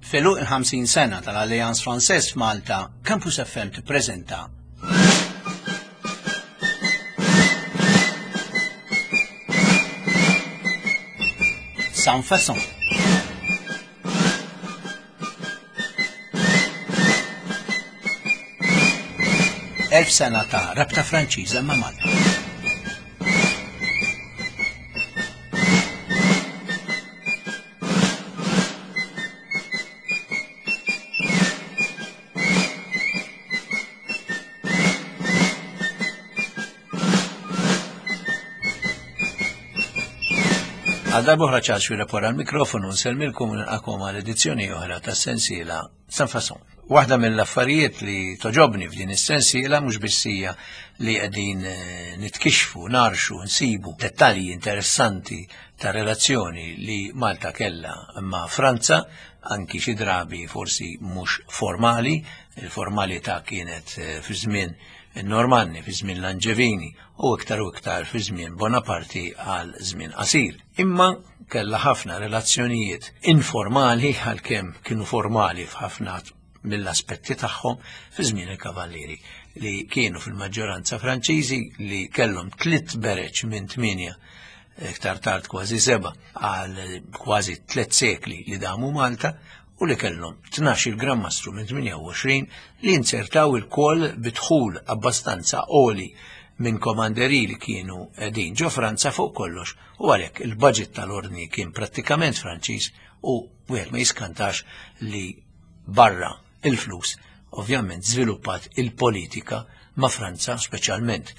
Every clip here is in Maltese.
F'għeluq il-50 sena tal-Alliance Française f'Malta, Campus FM tippreżenta Sans Façon. Elf sena ta' rabta Franċiża ma' Malta. Għal darbohra ċaċ fil wara l-mikrofonu nsellmilkom nilqakom għal edizzjoni oħra tas sensiela San Fason. Waħda mill-affarijiet li toġobni f'din is-sensiela mhux biss hija li qegħdin eh, nitkixxfu, narxu, nsibu dettalji interessanti ta' relazzjoni li Malta kellha ma' Franza, anki xi drabi forsi mhux formali, il-formalità kienet eh, fi żmien in-Normanni, fi żmien l-Anġevini u iktar u iktar fi żmien Bonaparti għal żmien qasir. Imma kellha ħafna relazzjonijiet informali għalkemm kienu formali f'ħafna mill-aspetti tagħhom fi żmien il-Kavallieri li kienu fil-maġġoranza Franċiżi li kellhom tliet bereċ minn tmienja iktar tard kważi seba għal kważi tliet sekli li damu Malta u li kellhom 12 Gran Mastru minn 28 li inzertaw il-kol bidħul abbastanza għoli minn komanderi li kienu qegħdin ġo Franza fuq kollox u għalhekk il-budget tal-ordni kien prattikament Franċiż u wieħed ma jiskantax li barra il-flus ovvjament żviluppat il-politika ma' Franza speċjalment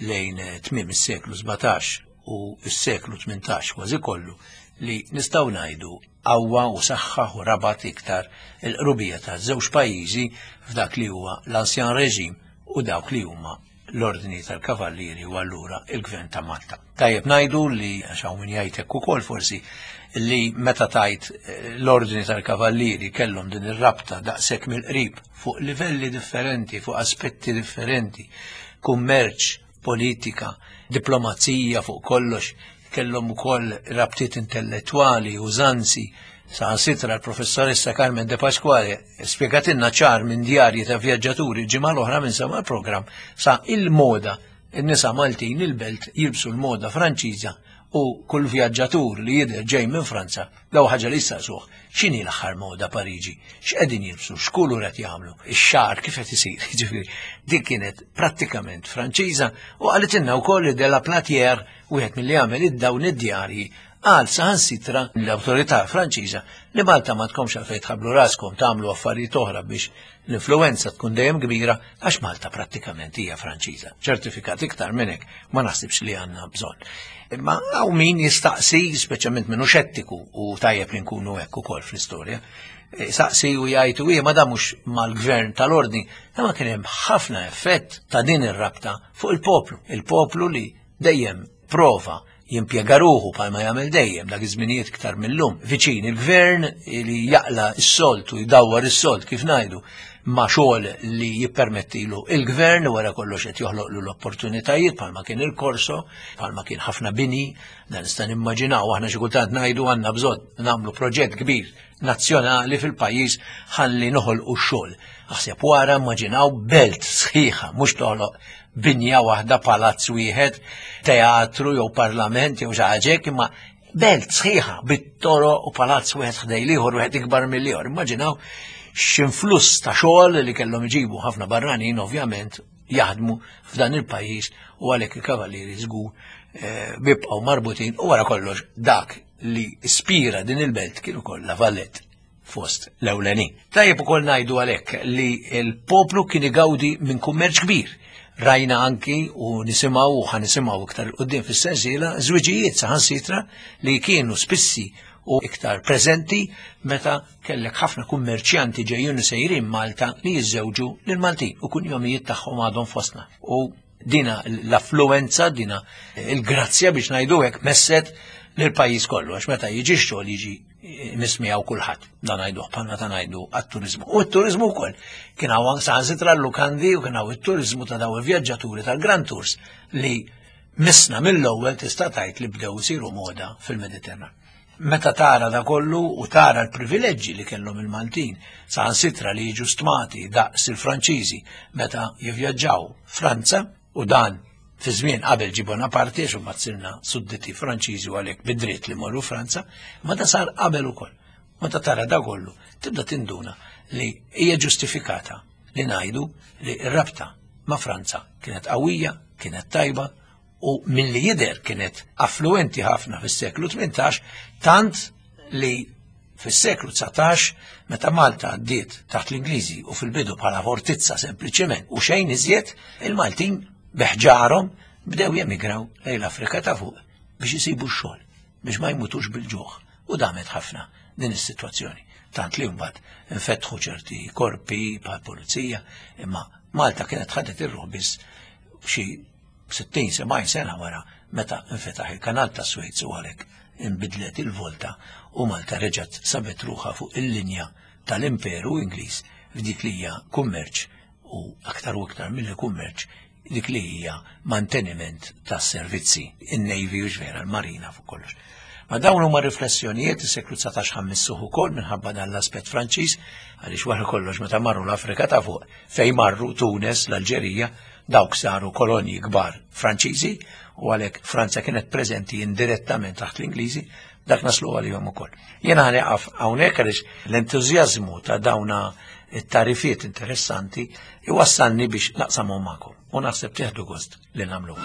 lejn eh, tmiem is-seklu 17 u s-seklu 18 kważi kollu li nistgħu ngħidu qawwa u saħħaħ u rabat iktar il-qrubija ta' żewġ pajjiżi f'dak li huwa l-Ancien Reġim u dawk li huma l-Ordni tal-Kavallieri u allura il-Gvern ta' Malta. Tajjeb ngħidu li għax hawn min jgħid hekk ukoll forsi li meta tajt eh, l-Ordni tal-Kavallieri kellhom din ir-rabta daqshekk mill-qrib fuq livelli differenti, fuq aspetti differenti, kummerċ, politika, diplomazija fuq kollox, kellhom ukoll rabtiet intellettwali, użanzi, saħansitra l-professoressa Carmen De Pasquale spjegatilna ċar minn djarji ta' vjaġġaturi ġimgħa l-oħra minn sama l-programm sa il-moda in-nisa Maltin il-belt jilbsu l-moda Franċiża u kull vjaġġatur li jidher ġej minn Franza daw ħaġa li jistaqsuh x'inhi l-aħħar moda Pariġi, x'qegħdin jilbsu, x'kulur qed jagħmlu, ix-xagħar kif qed isir, jiġifieri dik kienet prattikament Franċiża u qalitilna wkoll li de la Platière wieħed milli għamel id-dawn id-djarji qal saħansitra l-awtorità Franċiża li Malta ma tkomx għalfejn tħabblu raskom tagħmlu affarijiet oħra biex l-influenza tkun dejjem kbira għax Malta prattikament hija Franċiża. Ċertifikat iktar minn hekk ma naħsibx li għandna bżonn. Imma hawn min jistaqsi, speċjalment minnu xettiku u tajjeb li nkunu hekk ukoll fl-istorja, e, saqsi u jgħid u ma da mhux mal-gvern tal-ordni, imma kien hemm ħafna effett ta' din ir-rabta fuq il-poplu. Il-poplu li dejjem prova jimpjega ruħu bħalma jagħmel dejjem dak iż-żminijiet iktar millum viċin il-gvern li jaqla s-solt u jdawwar is-solt kif ngħidu ma' xogħol li jippermettilu il-gvern wara kollox qed joħloqlu l-opportunitajiet bħalma kien il-korso, bħalma kien ħafna bini, dan nista' nimmaġinaw aħna xi kultant ngħidu għandna bżonn nagħmlu proġett kbir nazzjonali fil-pajjiż ħalli noħolqu x-xogħol. Aħseb wara immaġinaw belt sħiħa, mhux toħloq binja waħda, palazz wieħed, teatru jew parlament jew xi ħaġa hekk, imma belt sħiħa bit-toroq u palazz wieħed ħdej l-ieħor wieħed ikbar mill-ieħor. Immaġinaw x'influss ta' xogħol li kellhom iġibu ħafna barranin ovvjament jaħdmu f'dan il-pajjiż u għalhekk il-kavallieri żgur eh, bibqgħu marbutin u wara kollox dak li ispira din il-belt kien ukoll La Valette fost l-ewlenin. Tajjeb ukoll ngħidu għalhekk li l-poplu kien igawdi minn kummerċ kbir. Rajna anki u nisimgħu u ħanisimgħu iktar il-qudiem fis-sensiela żwiġijiet saħansitra li kienu spissi u iktar preżenti meta kellek ħafna kummerċjanti ġejjin u sejrin Malta li jiżżewġu lil Maltin u kunjomijiet tagħhom għadhom fostna. U dina l-affluenza, dina il-grazzja biex ngħidu hekk messet lill-pajjiż kollu għax meta jiġi x-xogħol jiġi nismijaw kulħadd. Dan ngħiduh bħalma ta' ngħidu għat-turiżmu. U t-turiżmu wkoll kien hawn saħansitra l-lukandi u kien hawn it-turiżmu ta' daw il-vjaġġaturi tal-Grand Tours li misna mill-ewwel tista' tgħid li bdew isiru moda fil-Mediterran. Meta tara da kollu u tara l-privileġġi li kellhom il-Maltin, saħansitra li jiġu stmati daqs il-Franċiżi meta jivvjaġġaw Franza, u dan fi żmien qabel ġie Bonaparte għax imbagħad sirna sudditi Franċiżi u għalhekk bid-dritt li morru Franza, ma da sar qabel ukoll. Meta tara da kollu, tibda tinduna li hija ġustifikata li ngħidu li r-rabta ma' Franza kienet qawwija, kienet tajba u milli jidher kienet affluenti ħafna fis-seklu 18, tant li fis-seklu 19 meta Malta għaddiet taħt l-Ingliżi u fil-bidu bħala fortizza sempliċement u xejn iżjed, il-Maltin beħġarhom bdew jemigraw lejn l-Afrika ta' fuq biex isibu x-xogħol, biex ma jmutux bil-ġuħ. U damet ħafna din is-sitwazzjoni. Tant li mbagħad infetħu ċerti korpi bħal pulizija, imma Malta kienet ħadet ir-ruħ biss xi 60-70 sena wara meta nfetaħ il-kanal ta' Suez u għalhekk inbidlet il-volta u Malta reġgħet sabet ruħha fuq il-linja tal-Imperu Ingliż f'dik li hija kummerċ u aktar u aktar milli kummerċ dik li hija manteniment tas-servizzi, in-Navy u vera l-Marina fuq kollox. Ma dawn huma riflessjonijiet is-seklu 19 ħammissuh ukoll minħabba dan l-aspett Franċiż għaliex wara kollox meta marru l-Afrika ta' fuq fejn marru Tunes, l-Alġerija, dawk saru kolonji kbar Franċiżi u għalhekk Franza kienet preżenti indirettament taħt l-Ingliżi, dak naslu għalihom ukoll. Jiena ħanieqaf hawnhekk għaliex l-entużjażmu ta' dawna it-tarifiet interessanti iwassalni biex naqsamhom magħkom u naħseb tieħdu gost li nagħmlu.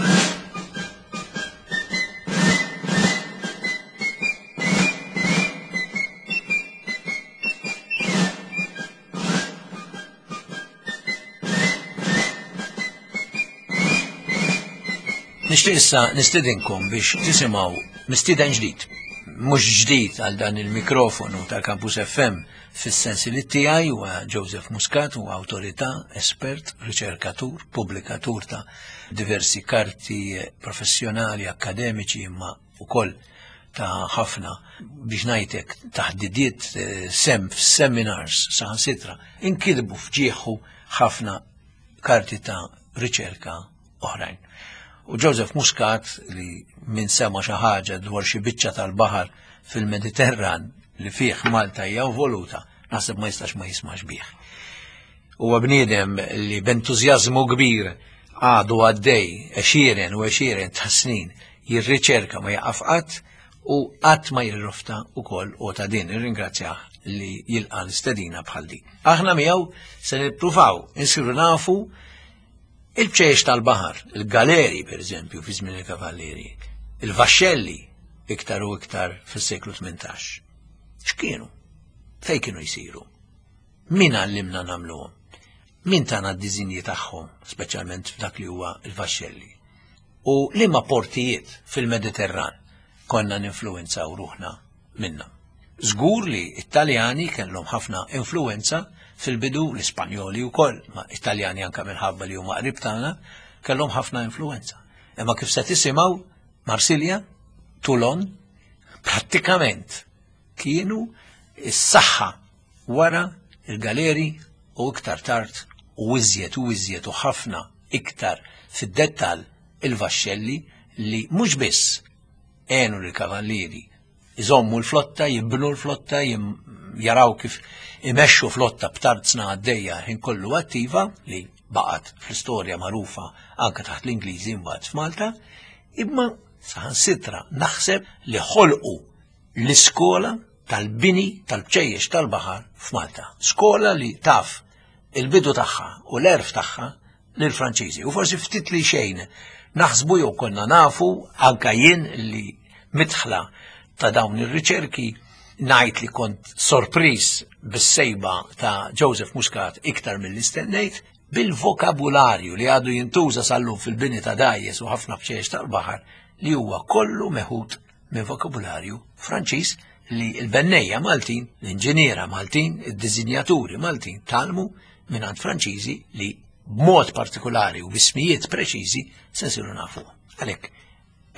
Nixtieq issa nistidinkom biex tisimgħu mistieden ġdid. Mhux ġdid għal dan il-mikrofonu tal-Campus FM fis-sensi li tiegħi huwa Joseph Muscat huwa awtorità, espert, riċerkatur, pubblikatur ta' diversi karti professjonali, akkademiċi imma ukoll ta' ħafna biex ngħidlek taħdidiet eh, sem f'seminars saħansitra inkitbu f'ġieħu ħafna karti ta' riċerka oħrajn. U Joseph Muscat li minn sema xi ħaġa dwar xi biċċa tal-baħar fil-Mediterran li fih Malta hija involuta, naħseb ma jistax ma jismax bih. Huwa bniedem li b'entużjażmu kbir għadu għaddej għexieren u għexieren ta' snin jirriċerka ma jaqaf qatt u qatt ma jirrofta ukoll u ta' din irringrazzjah li jilqa' l-istedina bħal din. Aħna miegħu se nippruvaw insiru nafu il-bċejjex tal-baħar, il-galeri per eżempju fi żmien il-kavallieri, il-vaxxelli iktar u iktar fis-seklu 18. X'kienu? Fejn kienu jsiru? Min għallimna nagħmluhom? Min tana d-diżinji tagħhom, speċjalment f'dak li huwa l-vaxxelli? U liema portijiet fil-Mediterran konna ninfluwenzaw ruħna minnhom? Żgur li t-Taljani kellhom ħafna influwenza fil-bidu, l-Ispanjoli wkoll, ma it-Taljani anke minħabba li huma qrib tagħna, kellhom ħafna influwenza. Imma kif se tisimgħu Marsilja, Toulon, prattikament kienu s-saħħa wara il-galeri u iktar tard u iżjed u iżjed u ħafna iktar fid-dettall il-vaxxelli li mhux biss għenu lill-kavallieri iżommu l-flotta, jibnu l-flotta, jaraw kif imexxu flotta b'tarzna għaddejja ħin kollu attiva li baqgħet fl-istorja magħrufa anke taħt l-Ingliżi mbagħad f'Malta, imma saħansitra naħseb li ħolqu l-iskola tal-bini tal-bċejjex tal-baħar f'Malta. Skola li taf il-bidu tagħha u l-erf tagħha lill-Franċiżi. U forsi ftit li xejn naħsbu jew konna nafu anka jien li mitħla ta' dawn ir-riċerki ngħid li kont sorpriż bis-sejba ta' Joseph Muscat iktar mill stennejt bil-vokabularju li għadu jintuża sal-lum fil-bini ta' dajjes u ħafna bċejjex tal-baħar li huwa kollu meħud minn vokabularju Franċiż li l-bennejja Maltin, l-inġiniera Maltin, id-dizinjaturi Maltin talmu minn Franċiżi li b'mod partikolari u bismijiet preċiżi se nsiru nafu. Għalhekk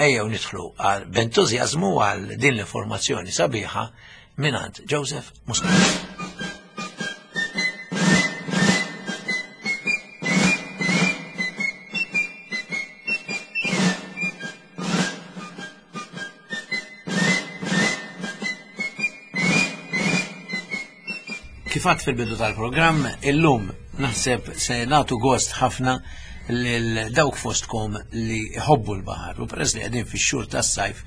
ejjew nidħlu għal b'entużjażmu għal din l-informazzjoni sabiħa mingħand Joseph Muscat. Kif għedt fil-bidu tal-programm, illum naħseb se nagħtu gost ħafna lil dawk fostkom li jħobbu l-baħar u peress li qegħdin fix-xhur tas-sajf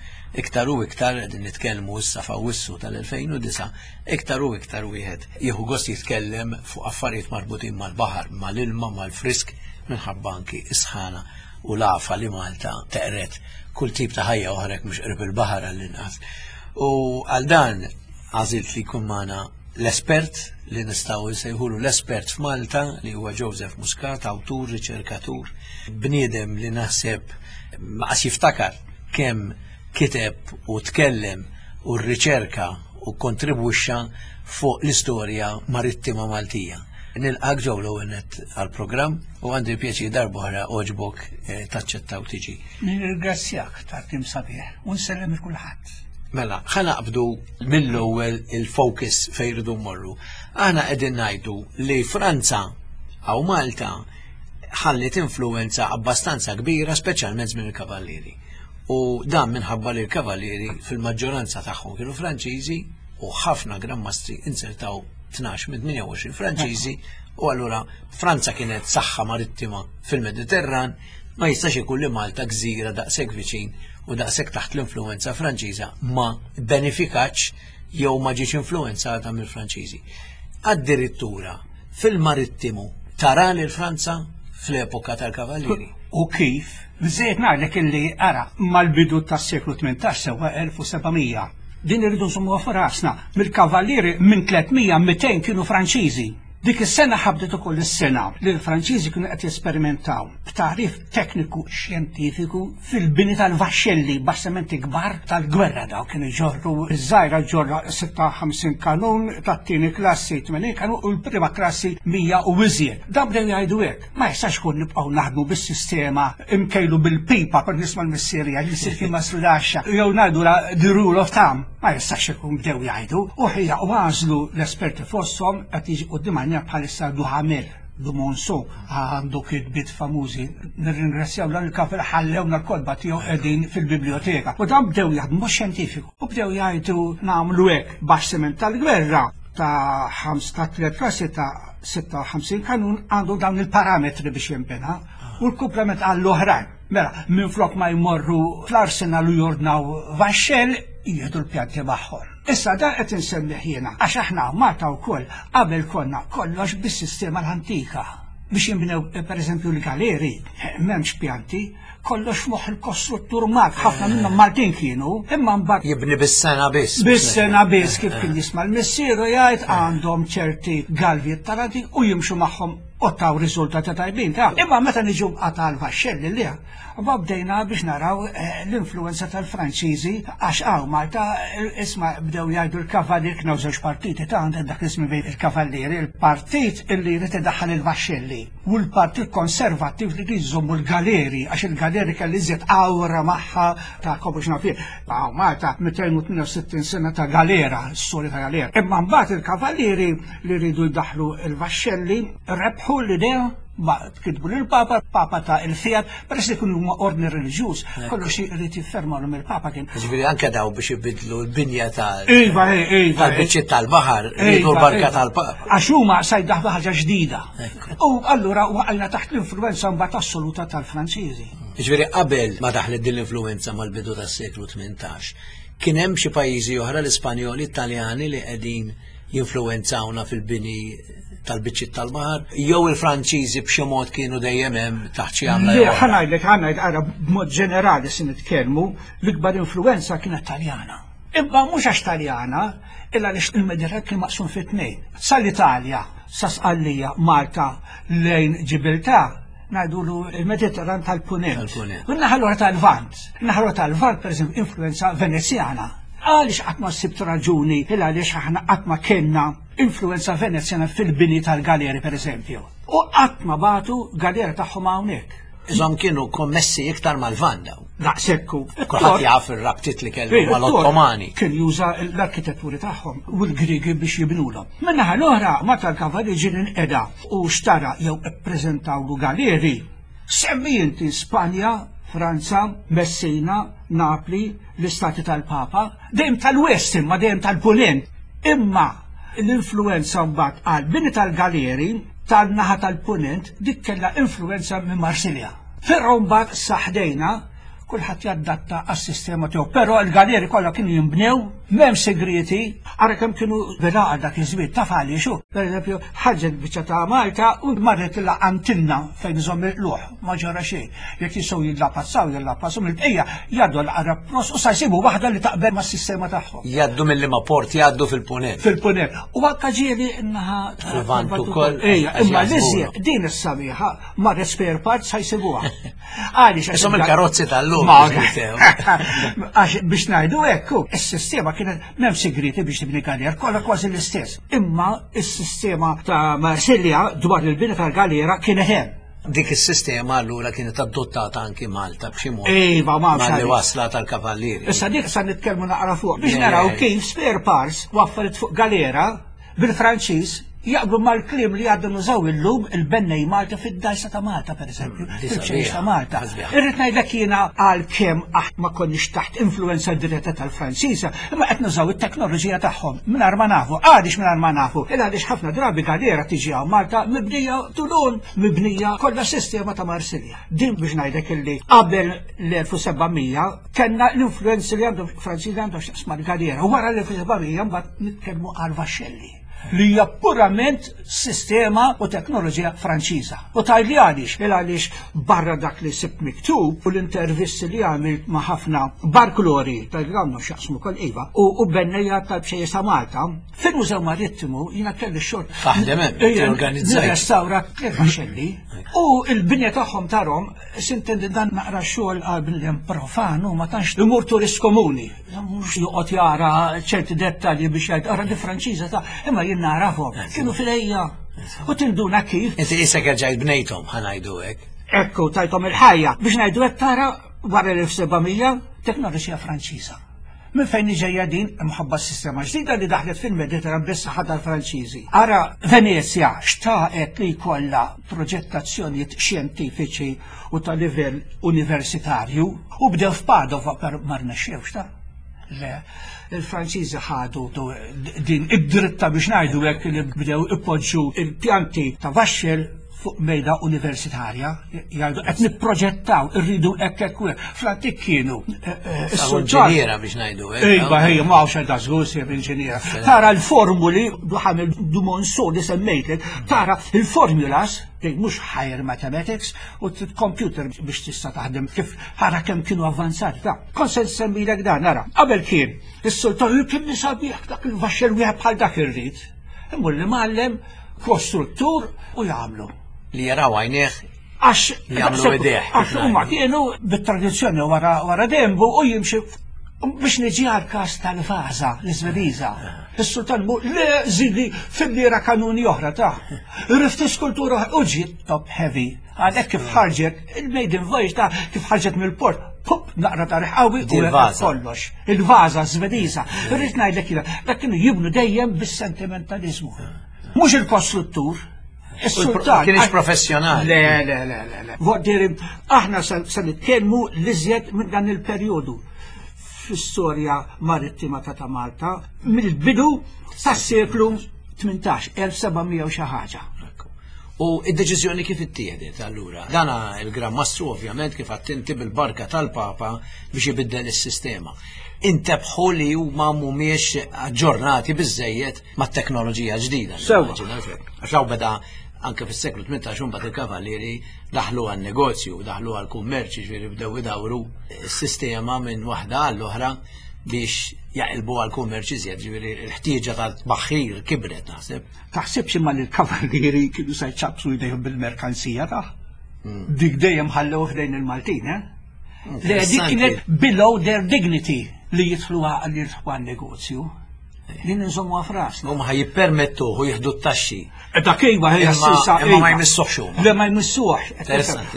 iktar u iktar qegħdin nitkellmu issa f'Awwissu tal-2009 iktar u iktar wieħed jieħu gost jitkellem fuq affarijiet marbutin mal-baħar, mal-ilma, mal-frisk minħabba anki is-sħana u l-għafa li Malta teqret kull tip ta' ħajja oħra mhux qrib il-baħar għall-inqas. U għal dan għażilt li jkun magħna l-espert li nistgħu nsejħulu l-espert f'Malta li huwa Joseph Muscat, awtur, riċerkatur, bniedem li naħseb ma jiftakar kemm kiteb u tkellem u rriċerka u kontribwixxa fuq l-istorja marittima Maltija. Nilqgħek Joe l-ewwel għal-programm u għandi pjaċir darb'oħra għoġbok eh, taċċetta u tiġi. Nirringrazzjak tal-kliem sabiħ u nsellem lil kulħadd. Mela, ħa naqbdu mill-ewwel il-focus fejn rridu mmorru. Aħna qegħdin ngħidu li Franza aw Malta ħallit influenza abbastanza kbira speċjalment minn il-Kavallieri. U dan minħabba li l-Kavallieri fil-maġġoranza tagħhom kienu Franċiżi u ħafna Gran Mastri inzertaw 12 minn 28 Franċiżi u allura Franza kienet saħħa marittima fil-Mediterran ma jistax ikun li Malta gżira daqshekk viċin u daqshekk taħt l-influenza Franċiża ma benefikatx jew ma ġietx influenzata mill-Franċiżi. Addirittura fil-marittimu tara lil Franza fl-epoka tal-Kavallieri. U kif? Bżejt ngħidlek illi ara mal-bidu tas-seklu 18 sewwa 1700. Din irridu nżommuha f'rasna. Mill-Kavallieri minn 300 200 kienu Franċiżi. Dik is-sena ħabdet ukoll is-sena li l-Franċiżi kienu qed jesperimentaw b'tagħrif tekniku xjentifiku fil-bini tal-vaxxelli, bastimenti kbar tal-gwerra daw kienu jġorru iż-żgħira ġorra 56 kanun, tat-tieni klassi 80 kanun u l-prima klassi 100 u iżjed. Dan bdew jgħidu hekk, ma jistax ikun nibqgħu naħdmu bis-sistema imkejlu bil-pipa kont nisma' l-missierija li jsir kien mastrudaxxa jew ngħidu la the rule of thumb. Ma jistax ikun bdew jgħidu u ħija u għażlu l-esperti fosthom qed jiġi quddiem għajnejna bħalissa Duhamel du Monceau għandu kitbiet famużi. Nirringrazzjaw dan il-kafel ħallewna l-kotba tiegħu qegħdin fil-biblioteka. U dan bdew jaħdmu xjentifiku u bdew jgħidu nagħmlu hekk bastiment tal-gwerra ta' 5 ta' 3 klassi ta' 56 kanun għandu dawn il-parametri biex jinbena u l-komplement għall-oħrajn. Mela, minflok ma jmorru fl-arsenal u jordnaw vaxxell, jieħdu l-pjanti magħhom. Issa dan qed insemmih jiena għax aħna Malta wkoll qabel konna kollox bis-sistema l-antika biex jinbnew pereżempju l-galeri, m'hemmx pjanti, kollox moħħ il-kostruttur Malti, ħafna minnhom Maltin kienu, imma mbagħad Jibni bis-sena biss. Bis-sena biss kif kien jisma' l-missieru jgħid għandhom ċerti galvijiet tal-antik u jimxu magħhom u taw riżultati tajbin ta' imma meta niġu għal vaxxelli li ma bdejna biex naraw eh, l-influenza tal-Franċiżi għax hawn Malta eh, isma bdew jgħidu l-kavallier kienu żewġ partiti ta' għandek dak ismi bejn il-kavallieri, il-partit illi jrid idaħħal il-vaxxelli u l-partit konservattiv li jrid jżommu l-galeri għax il-galeri kelli iżjed awra magħha ta' kobu xnafir. Hawn Malta 268 sena ta' galera, storja ta' galera. Imma mbagħad il-kavallieri li rridu jdaħlu il-vaxxelli rebħu l-idea ma kitbu lill-Papa, Papa ta il-fiat, peress li kienu huma ordni reliġjuż, kollox irid jiffermalhom il-Papa kien. Ġifieri anke daw biex ibidlu l-binja tal Iva, iva. tal-biċċiet tal-baħar, rridu l-barka tal-Papa. Għax huma sa jdaħlu ħaġa ġdida. U allura waqajna taħt l-influenza mbagħad assoluta tal-Franċiżi. Ġifieri qabel ma daħlet din l-influenza mal-bidu tas-seklu 18, kien hemm xi pajjiżi oħra l-Ispanjoli, Italjani li qegħdin jinfluwenzawna fil-bini tal-biċċiet tal-baħar, jew il-Franċiżi b'xi mod kienu dejjem hemm taħt xi għamla. Le, jew oħra. ħa ngħidlek, ħa ngħid, ara b'mod ġenerali se nitkellmu, l-ikbar influenza kienet Taljana. Imma mhux għax Taljana, illa għaliex il-Mediterran kien maqsum fi tnejn. Sal-Italja, sa Sqallija, Malta, lejn Ġibiltà, ngħidulu il-Mediterran tal-Punent. Tal-Punent. U n-naħa l-oħra tal-Lvant. N-naħa l-oħra tal-Lvant, per eżempju, influenza Venezjana. Għaliex qatt ma sibt raġuni il għaliex aħna qatt ma kellna influenza Venezjana fil-bini tal-galeri, per eżempju. U qatt ma bagħtu galera tagħhom hawnhekk. Iżom kienu kommessi iktar mal-Lvant daw. Daqshekk. Kulħadd jaf ir-rabtiet li kellu mal-Ottomani. Kien juża l-arkitetturi tagħhom u l-Grigi biex jibnulhom. Min-naħa l-oħra, meta l-kavalli ġie inqeda u xtara jew ippreżentawlu galeri. Semmi inti Spanja, Franza, Messina, Napli, l-istati tal-Papa, dejjem tal-West imma dejjem tal-Punent. Imma L-influenza mbagħad għal bini tal-galeri tan-naħa tal-punent dik kellha influenza minn Marsilja. Però mbagħad saħdejna kulħadd jaddatta għas-sistema tiegħu. Però l-galeri kollha kienu jinbnew, m'hemm segrieti, ara kemm kienu bil-għaqal dak iż-żmien taf għaliex hu. Pereżempju, ħarġet biċċa ta' Malta u marret lilha Antinna fejn iżomm il-qlugħ, ma ġara xejn. Jekk jistgħu jillapazzaw, jillapazzaw mill-bqija jgħaddu l-aqrab pros u sa jsibu waħda li taqbel mas-sistema tagħhom. Jgħaddu mill-liema port jgħaddu fil-punent. Fil-punent. U anke ġieli naħa Fil-Lvant ukoll. Ejja, imma l-iżjed din is-sabiħa marret spare parts sa jsibuha. Għaliex Isom il-karozzi tal-lum. Għax biex ngħidu hekk, is-sistema kienet m'hemm sigriti biex tibni galera, kollha kważi l-istess. Imma is-sistema ta' Marsilja dwar il-bini tal-galera kienet hemm. Dik is-sistema allura kienet adottata anki Malta b'xi mod. Iva, ma li wasla tal-kavallieri. Issa dik sa nitkellmu naqra fuq biex naraw kif spare parts waffret fuq galera bil-Franċiż jaqblu mal-kliem li għadna nużaw illum il-bennej Malta fid-dajsa ta' Malta, per eżempju, mm, fil-ċejx ta' Malta. Irrid ngħidlek jiena għal kemm aħ ma konniex taħt influenza diretta tal-Franċiża, imma qed nużaw it-teknoloġija tagħhom mingħajr ma nafu. Għaliex mingħajr ma nafu? Il għaliex ħafna drabi galera tiġi hawn Malta mibnija Tulun, mibnija kollha sistema ta' Marsilja. Din biex ngħidlek illi qabel l-1700 kellna l-influenzi li għandhom Franċiżi għandhom x'taqsma l-galera. U wara l-1700 mbagħad nitkellmu għal vaxxelli li hija purament sistema u teknoloġija Franċiża. U tgħidli għaliex, il għaliex barra dak li sibt miktub u l-intervisti li għamilt ma' ħafna barklori tal għandhom x'jaqsmu kol iva u bennejja tal-bxejjes ta' Malta, fil-Mużew Marittimu jiena kelli xogħol. Taħdem hemm, organizzajt. Nirrestawra tliet vaxxelli u l-binja tagħhom tarhom Sintendi dan naqra xogħol għal bniedem profan u ma tantx imur turist komuni. Mhux joqgħod jara ċerti dettalji biex jgħid ara di Franċiża ta' imma jien narafhom. Kienu fil-ejja. U tinduna kif. Inti isek erġajt bnejthom ħa ngħidu hekk. Ekku tajthom il-ħajja biex ngħidu hekk tara wara l-1700 teknoloġija Franċiża. Minn fejn ġejja din imħabba s-sistema ġdida li daħlet fil-Mediterran bis-saħħa tal-Franċiżi. Ara Venezja xtaqet li jkollha proġettazzjonijiet xjentifiċi u ta' livell universitarju u bdew f'Padova per ma rnexxewx ta' Le, il-Franċiżi ħadu din id-dritta biex ngħidu hekk li bdew ipoġġu il-pjanti ta' vaxxel fuq mejda universitarja, jgħidu qed nipproġettaw, irridu hekk hekk u hekk. Fl-antik kienu eh, eh, is-sulġiera biex ngħidu hekk. Iva, ejja, ma hawnx da żgur sejf inġiniera. Tara l-formuli, duħam il-Dumonso li semmejtlek, tara il-formulas, li mhux higher mathematics, u computer biex tista' taħdem kif ħara kemm kienu avvanzati. Ta' kont se nsemmilek dan, ara. Qabel kien, is-sultan kien sabiħ dak il-vaxxel wieħed bħal dak irrid. Imur li mgħallem kostruttur u jagħmlu. Li jaraw għajnejh Għax jagħmlu idejh. Għax huma kienu bit-tradizzjoni wara wara dembu u jimxi biex niġi għal każ tal-vaża l-Iżvediża. Is-sultan mu le żidi fil-lira kanuni oħra ta' Rifti skultura u ġiet top heavy. Għalhekk kif ħarġet il-maiden voyage ta' kif ħarġet mill-port, pup naqra ta' riħawi u kollox. Il-vaża Svediża. Irrid ngħidlek jiena, dak kienu jibnu dejjem bis-sentimentaliżmu. Mhux il-kostruttur, Is-sultan. Kienx professjonali. Le, le, le, le, le. Voddiri, aħna se nitkellmu l-iżjed minn dan il-perjodu fl-istorja marittima ta' ta' Malta mill-bidu tas-seklu 18, 1700 u xi ħaġa. U id-deċiżjoni kif ittieħdet allura? Dana il-Gran Mastru ovvjament kif attinti bil-barka tal-Papa biex ibiddel is-sistema. Intebħu li huma mhumiex aġġornati biżejjed mat-teknoloġija ġdida. Sewa. Għax hawn beda anke fis-seklu 18 mbagħad il-kavallieri daħlu għan-negozju, daħlu għall-kummerċ, jiġifieri bdew idawru s-sistema minn waħda għall-oħra biex jaqilbu għall-kummerċ iżjed, ġifieri l-ħtieġa tal-tbaħħir kibret naħseb. Taħsibx imma li l-kavallieri kienu se jċappsu jdejhom bil-merkanzija ta' hmm. Dik dejjem ħallew f'dejn il-Maltin, eh? Le dik kienet below their dignity li jidħlu li jidħlu għan-negozju. Li ninżommu għafras. Huma ħaj jippermettu u jieħdu t-taxxi. Eh, dak iva hija s-sisa. Imma ma jmissuhx huma. Le ma jmissuhx.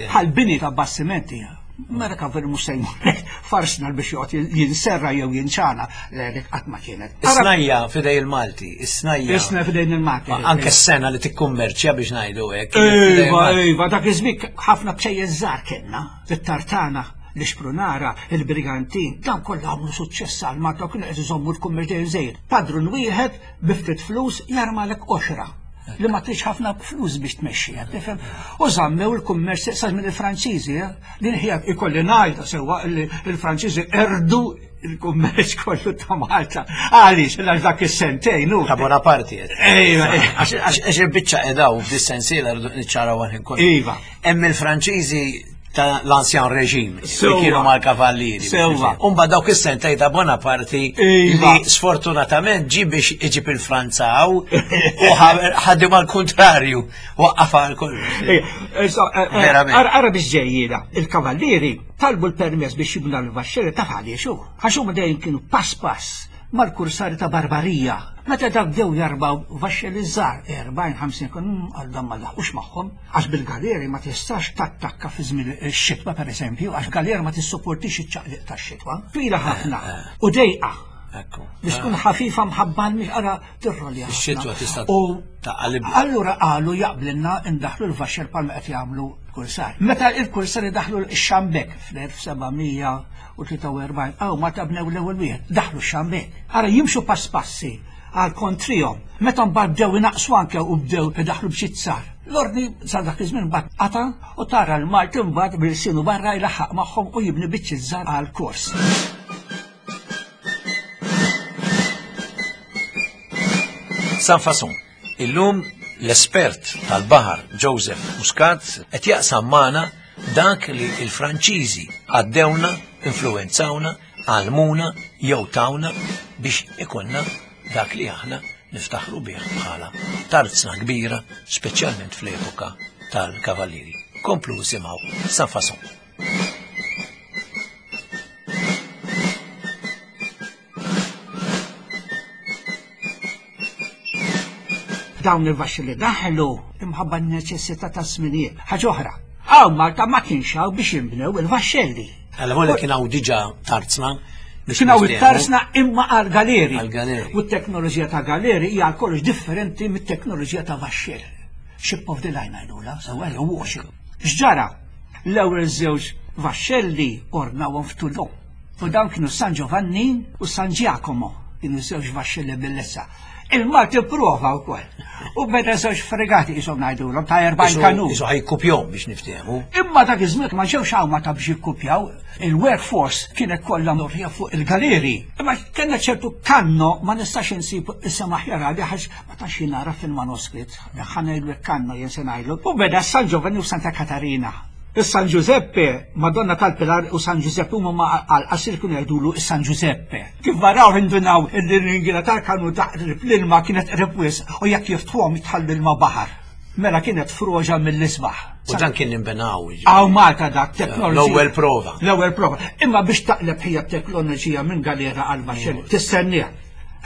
Bħal bini ta' bastimenti. Mela kan veru mhux se jmur farsnal biex joqgħod jinserra jew jinċana le dik qatt ma kienet. Is-snajja fidej il-Malti, is-snajja. Is-snajja fidej il-Malti. Anke s-sena li tikkummerċja biex ngħidu hekk. Iva, iva, dak iż-żmien ħafna bċejjeż żgħar kellna, fit-tartana. L-Ixprunara, il-Brigantin, dawn kollha għamlu suċċess għal Malta u kienu qed iżommu l-kummerċ dejjem żejjed. Padrun wieħed bi ftit flus jarmalek qoxra li ma tridx ħafna flus biex tmexxiha, tifhem? U żammew il-kummerċ sa żmien il-Franċiżi, eh? Din hija ikolli ngħidha sewwa li l-Franċiżi erdu il-kummerċ kollu ta' Malta. Għaliex, għax dak is-sentejn hu. Ta' Bonaparte. Ejwa, għax il-biċċa edaw f'dis-sensiela rridu niċċaraw għal kollu. Iva. Hemm il-Franċiżi ta' l-ansjan reġim li kienu mal-kavallieri. Sewwa. Umba dawk is-sentej ta' Bonaparte Iva. li sfortunatament ġi biex iġib il-Franzaw u ħaddim għal kontrarju waqqaf għal kollox. Eh, eh, eh, Verament. Ara biex ġejjina, il-kavallieri talbu l-permess biex jibna l-vaxxeri ta' għaliex hu. Għax huma dejjem kienu pass pass mal-kursari ta' Barbarija. Meta dak bdew jarbaw vaxxelli żgħar, 40-50 kun għal dan ma laħqux magħhom, għax bil-galeri ma tistax tattakka fi żmien ix-xitwa pereżempju, għax galera ma tissupportix iċ-ċaqliq tax-xitwa. Twila ħafna u dejqa. Ekku. Biex tkun ħafifa mħabban mhix ara tirrolja. Ix-xitwa tista' U taqalib. Allura qalu jaqblilna ndaħlu l-vaxxer palma qed jagħmlu kursar. Meta il-kursar daħlu x-xambek fl-1743, għaw ma tabnew l-ewwel wieħed, daħlu x-xambek. Ara jimxu pass passi għal kontrihom. Meta mbagħad bdew inaqsu anke u bdew idaħlu b'xizzar. L-ordni sa dak iż-żmien mbagħad qata' u tara l-Malti mbagħad bil-sinu barra jlaħħaq magħhom u jibni biċċi żgħar għal kors. San Fason. Illum l-espert tal-baħar Joseph Muscat qed jaqsam magħna dak li l-Franċiżi għaddewna, influwenzawna, għallmuna jew tawna biex ikollna dak li aħna niftaħru bih bħala tarzna kbira, speċjalment fl-epoka tal-Kavallieri. Komplu simgħu San Fason. Dawn il-vaxxi li daħlu imħabba n-neċessità ta' żminijiet. Ħaġa oħra, hawn Malta ma kienx hawn biex jinbnew il-vaxxelli. Għalla volja kien hawn diġà tarzna. biex Kien hawn niftehmu. it-tarsna imma għal galeri. Għal galeri. U t-teknoloġija ta' galeri hija għal kollox differenti mit-teknoloġija ta' vaxxell. Ship of the line għajdula, sewwa jew warship. X'ġara? L-ewwel żewġ vaxxelli ornawhom f'Toulon. U dawn kienu San Giovanni u San Giacomo, kienu żewġ vaxxelli bellezza. Il-Malti prova wkoll. U beda żewġ fregati qishom ngħidulhom ta' 40 kanun. Isu ħajkupjom biex niftehmu. Imma dak iż-żmien ma ġewx hawn ma ta' biex jikkupjaw, il-workforce kienet kollha mdorrija fuq il-galeri. Imma kellna ċertu kanno ma nistax insib isem aħjar għalih għax ma tantx jien nara fil-manuskritt. Ħa ngħidlu kanno jien se ngħidlu. U beda San Giovanni u Santa Katarina. Is-San Giuseppe, Madonna tal-Pilar u San Giuseppe huma ma għal-qasir kienu jgħidulu is-San Giuseppe. Kif varaw indunaw il-ringina tal-kanu ta' qrib l-ilma kienet qrib wisq u jekk jiftħuhom jitħallu l-ilma baħar. Mela kienet froġa mill-isbaħ. U dan kien inbenaw. jiġifieri. Għaw Malta dak teknoloġija. L-ewwel prova. L-ewwel prova. Imma biex taqleb hija teknoloġija minn galera għal baxxel tistenniha.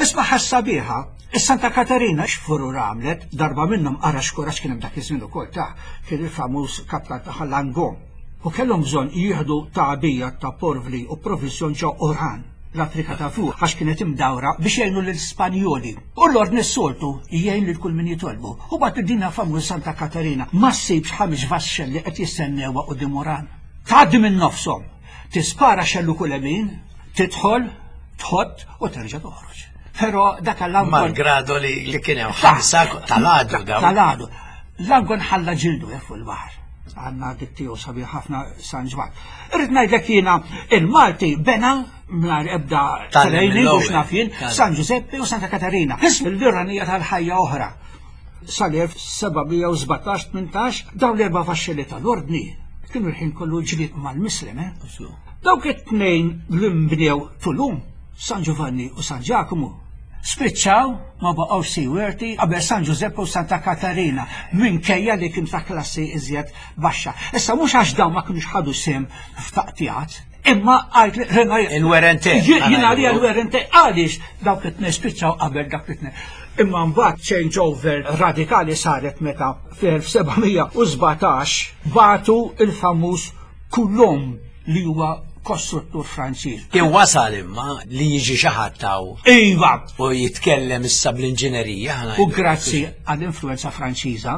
Isma' ħassabiħa, Is-Santa Katarina x'furur għamlet, darba minnhom ara x'kuraġġ kien hemm dak iż-żmien ukoll ta' kien il-famuż kaptan tagħha Langon. U kellhom bżonn jieħdu tagħbija ta' porvli u proviżjon ġo Oran, l-Afrika ta' Fuq, għax kienet imdawra biex jgħinu lill-Spanjoli. U l-ordni s-soltu jgħin lil kull min jitolbu. U bagħtu din famuż Santa Katarina ma ssibx ħames vaxxelli qed jistennewha quddiem Oran. Tgħaddi minn nofshom, tispara xellu kull lemin, tidħol, tħott u terġa' toħroġ. Però dak l-angon. Malgrado li, li kien hemm ħamsa tal-għadu dawn. Tal-għadu. L-angon ħalla ġildu eh, fuq il-baħar. Għanna dik tiegħu sabiħ ħafna San Ġwann. Irrid ngħidlek jiena il-Malti bena mingħajr ebda Tgħallem training u mill-ewwel. x'naf jien, Tgħallem. San Ġużeppi u Santa Katarina. L-iranija tal-ħajja oħra. Sal-1717-18 dawn l-erba' vaxxelli tal-ordni kienu l-ħin kollu ġlied mal-Mislem, eh? Dawk it-tnejn li nbnew Tulum, San Giovanni u San Giacomo, spiċċaw ma baqgħux seaworthy qabel San Giuseppe u Santa Katarina minkejja li kien ta' klassi iżjed baxxa. Issa mhux għax dawn ma kinux ħadu sehem f'taqtiegħat, imma għalt li rena Il-wear and tear. Jien għalija l-wear and tear għaliex dawk it-tnejn spiċċaw qabel dak it-tnejn. Imma mbagħad change over radikali saret meta fl-1717 bagħtu il-famuż Coulomb li huwa kostruttur Franċiż. Kien wasal imma li jiġi xi ħadd hawn Iva, u jitkellem issa bl-inġinerija. ħa u ngħidu. grazzi għall-influenza Franċiża,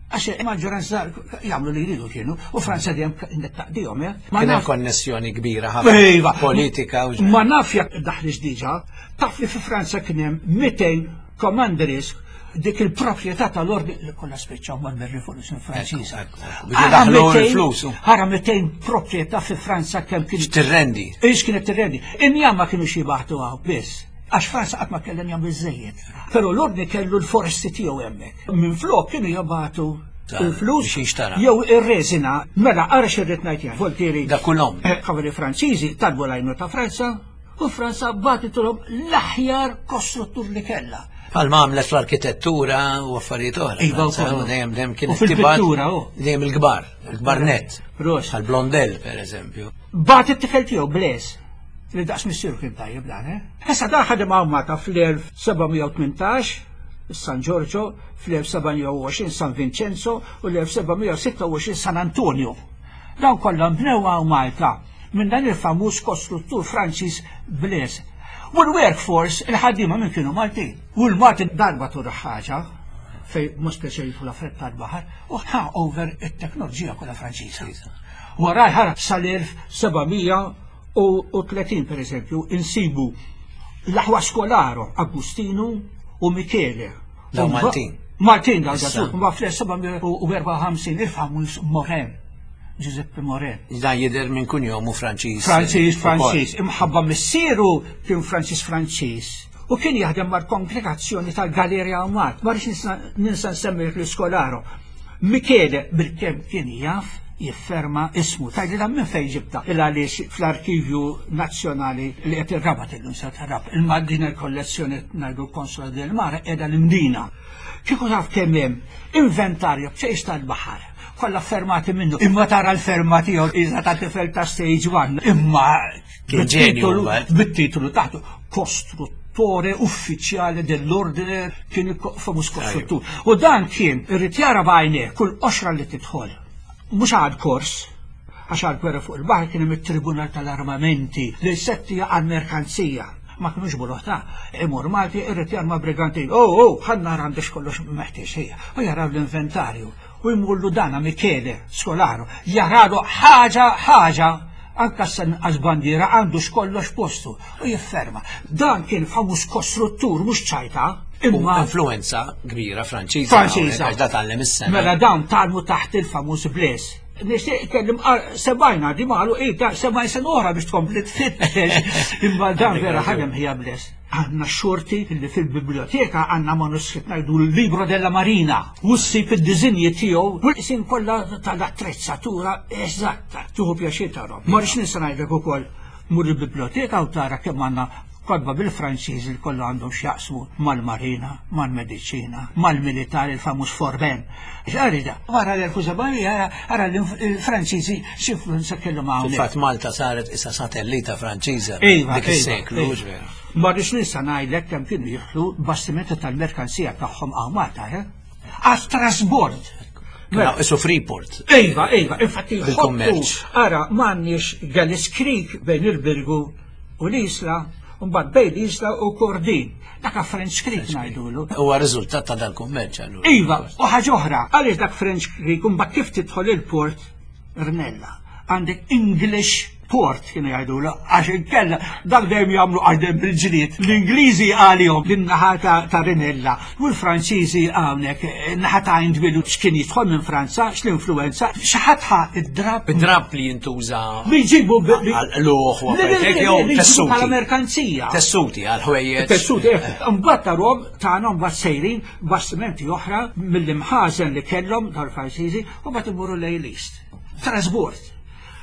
Għax il-maġġoranza jagħmlu li jridu kienu, u Franza dejjem kienet taqdihom, eh? Ma Kien hemm konnessjoni kbira ħafna iva. politika u Ma naf jekk daħlix diġà, taf li fi Franza kien hemm 200 commanderies dik il-proprjetà tal-ordni li kollha spiċċaw mal-Rivoluzzjoni Franċiża. Biex daħlu l-flus. Ħara 200 proprjetà fi Franza kemm kien. Tirrendi. Ix kienet tirrendi. Injama kienu xi baħtu hawn biss. Għax Franza qatt ma kellha njam biżejjed. Però l-ordni kellu l-foresti tiegħu hemmhekk. Minflok kienu jabatu il-flus jew ir-reżina. Mela ara x'irrid ngħid jien, Voltieri. Da kulhom. Eh, Kavali Franċiżi talbu l-għajnu ta' Franza u Franza bagħtitulhom l-aħjar kostruttur li kellha. Bħal ma għamlet fl-arkitettura u affarijiet oħra. Iva, u dejjem dejjem kien fil-pittura, dejjem il-kbar, il-kbar net. Bħal Blondel, per eżempju. Bagħat it-tifel tiegħu Blaise li daqs missieru kien tajjeb dan, eh? Issa dan ħadem hawn Malta fl-1718 San Giorgio, fl-1720 San Vincenzo u l-1726 San Antonio. Dawn kollha nbnew hawn Malta minn dan il-famuż kostruttur Franċiż Blaise. U l-workforce, il-ħaddiema minn kienu Maltin. U l-Malti darba tur ħaġa fej mhux speċjali jidħol affarijiet tal-baħar u ħa over it-teknoloġija kollha Franċiża. Wara ħara sal-1730 per eżempju insibu l-aħwa Scolaro, Agustinu u Michele. Daw Maltin. Maltin daw daw, ma fl-1754 il-famuż Moren. Giuseppe Moren. Dan jidher minn kunjomu Franċiż. Franċiż, Franċiż. Imħabba missieru kien Franċiż Franċiż. U kien jaħdem mal-kongregazzjoni tal-Galerja Umat. Ma rridx ninsa nsemmi l-Scolaro. Michele bil-kemm kien jaf jifferma ismu. Tgħidli dan minn fejn ġibta? Il għaliex fl-Arkivju Nazzjonali li qed ir-Rabat illum se tarab. Imma din il-kollezzjoni ngħidu l-Consola del Mare qiegħda l-Imdina. Kieku taf kemm hemm inventarju b'ċejx tal-baħar kollha fermati minnu. Imma tara l-ferma tiegħu iżda ta' tifel ta' stage one. Imma Kien ġenju, bit-titolu taħtu kostruttore uffiċjali dell'ordine kien famuż kostruttur. U dan kien irrid jara b'għajnejh kull qoxra li tidħol. Mhux għad kors, għax għal gwerra fuq il-baħar kien hemm it-Tribunal tal-Armamenti li settija għal merkanzija. Ma kienux buluħ ta' imur Malti irrid jarma brigantin. Oh, oh, ħa nara għandix kollox meħtieġ hija. U jaraw l-inventarju u jmurlu dana Michele Scolaro jaralu ħaġa ħaġa anka s-sanqas bandiera għandu xkollox postu u jifferma. Dan kien famuż kostruttur mhux ċajta. Imma influenza kbira Franċiża. Franċiża. Għax da tgħallem is-sena. Mela dawn tgħallmu taħt il-famuż Blaise. Nixtieq kellim sebajna di malu ita sebajn sena oħra biex tkompli tfittex. Imma dan vera ħadem ħija Blaise. Għandna xorti li fil-biblioteka għandna manuskritt ngħidu l-Libro della Marina u ssib id-diżinji tiegħu u l-qsim kollha tal-attrezzatura eżatta. Tuħu pjaċir tarhom. Ma rridx ninsa ngħidlek ukoll mur il-biblioteka u tara kemm għandna kotba bil-Franċiż li kollha għandhom x'jaqsmu mal-marina, mal-mediċina, mal-militar, il-famuż Forben. X'għarida, wara l-1700 ara l-Franċiżi x'influenza kellhom hawnhekk. Fil-fatt Malta saret issa satellita Franċiża iva, dik iva, is-seklu, iva. hux vera? Ma rridx ninsa ngħidlek kemm kienu jieħdu bastimenti tal-merkanzija tagħhom hawn Malta, eh? Għat-trasbord. Mela, isu Freeport. Iva, iva, infatti Bil-kummerċ. Ara, m'għandniex Gallis Creek bejn il-Birgu u l-Isla, u mbagħad bejn l-Isla u Kordin. Dak French Creek ngħidulu. Huwa riżultat ta' dal-kummerċ allura. Iva, u ħaġa oħra, għaliex dak French Creek u mbagħad kif tidħol il-port Rnella. Għandek English port kienu jgħidulu, għax inkella dak dejjem jagħmlu għax dejjem bil-ġlied. L-Ingliżi għalihom lin-naħa ta' Rinella u l-Franċiżi hawnhekk naħa ta' Indwilu x'kien jidħol minn Franza, x'l-influenza, xi ħadd ħa id-drab. Id-drab li jintuża li jġibu għal-qluħ u affarijiet jew tessuti. Bħala merkanzija. Tessuti għal ħwejjeġ. Tessuti, eh. Mbagħad tarhom tagħna mbagħad sejrin bastimenti oħra mill-imħażen li kellhom dal-Franċiżi u mbagħad imorru lejn l-East. Trasbord.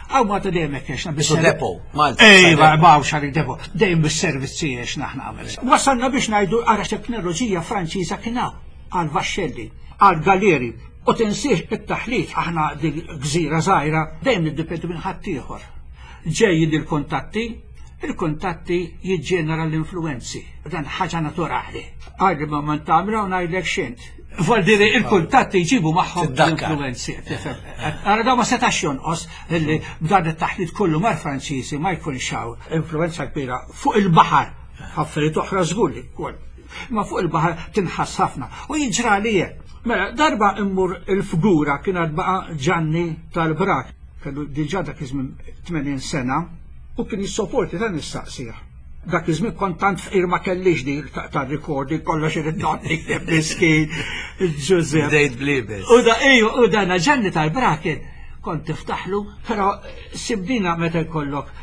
Għaw ma ta' dejjem hekk għexna bis depo, Malta. Ejva, ma hawnx għalik depo. Dejjem bis-servizzi għexna aħna għamel. Wasalna biex ngħidu ara teknoloġija Franċiża kien hawn għal vaxxelli, għal galeri. U tinsiex it-taħlit aħna din gżira żgħira dejjem niddependu minn ħaddieħor. Ġejjin il-kuntatti, il-kuntatti jiġġenera l-influenzi. Dan ħaġa naturali. Għajli ma man tagħmilha u ngħidlek x'int. Vuol dire il-kuntatti jġibu magħhom l-influenzi. Ara daw ma setax jonqos illi b'dan it-taħlit kollu mal-Franċiżi ma jkunx hawn influenza kbira fuq il-baħar. Affarijiet oħra żgur li wkoll. Ma fuq il-baħar tinħass ħafna. U jiġra li hekk. Mela, darba immur il-fgura kien għad baqa' Ġanni tal-Brak, kellu diġà dak iż-żmien 80 sena, u kien jissoporti ta' nistaqsih. Dak iż-żmien kont tant fqir ma kellix di tar-recording kollox irid noqgħod nikteb miskin Ġużepp. Bdejt blibes. U da ejju, u dana Ġanni tal-Brak kien kont tiftaħlu, però sibdina meta jkollok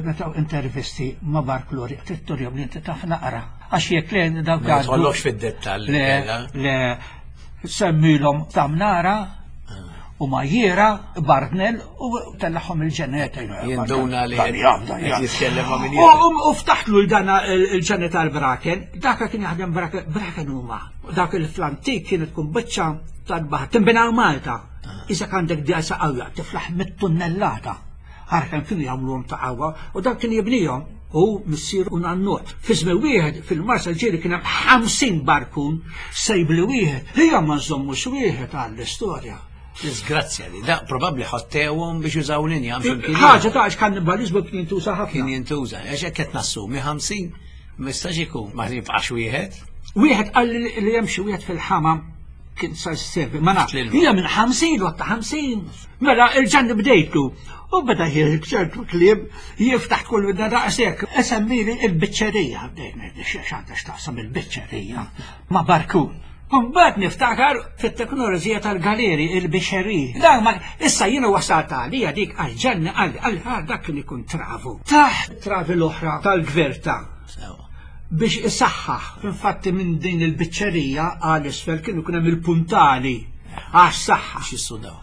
meta intervisti ma' Barklori, trid turihom li inti taf naqra. Għax jekk le dawk Ma jidħollokx fid-dettall. Le, le, semmilhom tamnara u majjera, Bartnell u tellaħħom il-ġeneta. Jinduna li jitkellem ma' min U ftaħtlu l-dana il-ġeneta tal-Braken, daka kien jaħdem Braken, Braken huma. Dak il-flantik kienet tkun biċċa tal-baħar, tinbina Malta. Ah. Iżda għandek dgħajsa qawwa, tiflaħ mit-tunnellata. Ara kemm kienu jagħmluhom ta' qawwa u dan kien jibnihom hu missier u nannuh. Fi żmien wieħed fil-Marsa ġieli kien hemm 50 barkun sejbli wieħed. Hija ma nżommux wieħed għall-istorja. Disgrazzja li da probabbli ħottewhom biex jużaw l-injam flimkien. Ħaġa ta' għax kannibaliżmu kien jintuża ħafna. Kien jintuża, għax hekk qed nassumi 50 ma jistax ikun ma jibqax wieħed. Wieħed qal li hemm xi wieħed fil-ħama kien sa servi, ma nafx. Hija minn 50 u ta' 50. Mela il-ġanni bdejtu u beda ċertu kliem jiftaħ kull da daqshekk. Esemmili il-biċċerija, bdejt ngħid x'għandha x'taqsam il-biċċerija ma' barkun. Mbagħad niftakar fit-teknoloġija tal-galeri il-biċċeriji. Dan ma issa jiena wasalt għalija dik għal ġanni għal għal dak kien ikun travu. Taħt travi l-oħra tal-gverta. Biex isaħħaħ. Infatti minn din il-biċċerija għal isfel kienu jkun hemm il-puntali għas-saħħa. Biex jissudaw.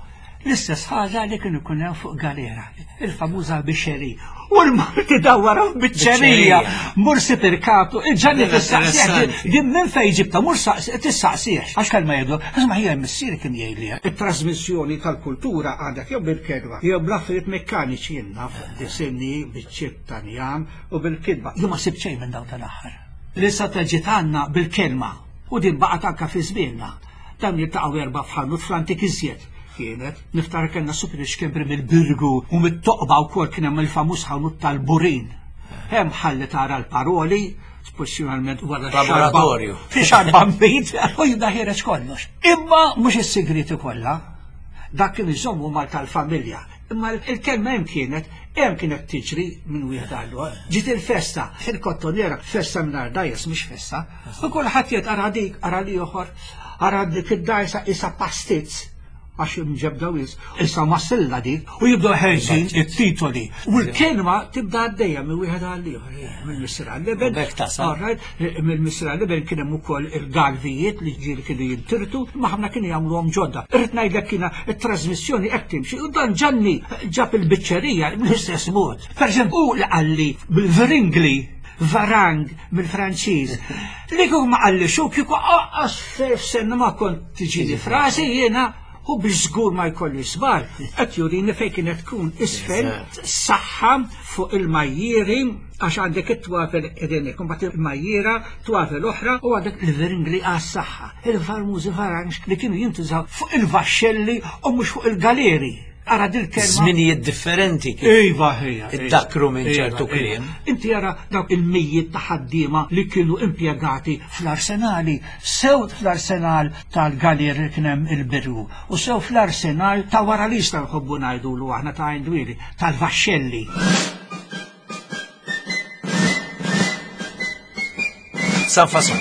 L-istess ħaġa li kienu jkun hemm fuq galera, il-famuża biċċerija. U l-Malti dawwara f'biċċerija. Mur sib irkaptu, il-ġanni tistaqsih. Din minn fejn ġibta, mur tistaqsih. Għax kelma jgħidu, isma' ħija missieri kien jgħidli. It-trasmissjoni tal-kultura għadek jew bil-kelma, jew bl-affarijiet mekkaniċi jien naf, disinni, biċċiet ta' njam, u bil-kitba. Jien ma sibt xejn minn dawn tal-aħħar. L-issa ta' ġiet għandna bil-kelma u din baqgħet anke fi żmienna. Dawn jiltaqgħu erba' f'ħanut fl-antik iżjed kienet. Niftakar kellna Super Xkembri mill-Birgu u mit-Toqba wkoll kien hemm il-famuż ħanut tal-Burin. Hemm ħalli tara l-paroli, speċjalment wara Laboratorju. Fi xarba mbid u jibda ħiereġ kollox. Imma mhux is-sigriti kollha. Dak kien iżommu mal tal-familja. Imma il-kelma hemm kienet, hemm kienet tiġri minn wieħed għal ieħor. Ġiet il-festa, il-kottonera, festa mingħajr dgħajjes mhix festa. U kulħadd jgħid ara dik, ara l-ieħor, ara dik id-dgħajsa isa pastizz għax imġebda wis, issa massilla dik, u jibdew ħerġin it-titoli. U l-kelma tibda għaddejja minn wieħed għal ieħor, minn missier għal iben. Mill-missier għal iben kien hemm ukoll il-galvijiet li ġieli kienu jintirtu, imma ħafna kienu jagħmluhom ġodda. Irrid ngħidlek kiena t-trasmissjoni qed timxi u dan Ġanni ġab il-biċċerija bl-istess mod. Pereżempju, hu li qalli bil-vringli varang mill-Franċiż. Li kieku ma qallix hu kieku aqqas f'senna ma kont tiġini frasi jiena u biex żgur ma jkolli żball, qed jurini fejn kienet tkun isfel saħħa fuq il-majjieri għax għandek it-twafel qegħdin hekk, imbagħad il-majjiera, twafel oħra u għandek il-viringli għas-saħħa, il-farmużi faranx li kienu jintużaw fuq il-vaxxelli u mhux fuq il-galeri. Ara dil-kelma. Żminijiet differenti kif. Iva ħija. Iddakru minn ċertu iva, kliem. Iva. Inti ara dawk il-mijiet ta' ħaddiema li kienu impjegati fl-arsenali, sew fl-arsenal tal-galeri li kien hemm il-Birgu u sew fl-arsenal ta' wara li jista' nħobbu ngħidulu aħna ta' Għajn tal-vaxxelli. San Fason,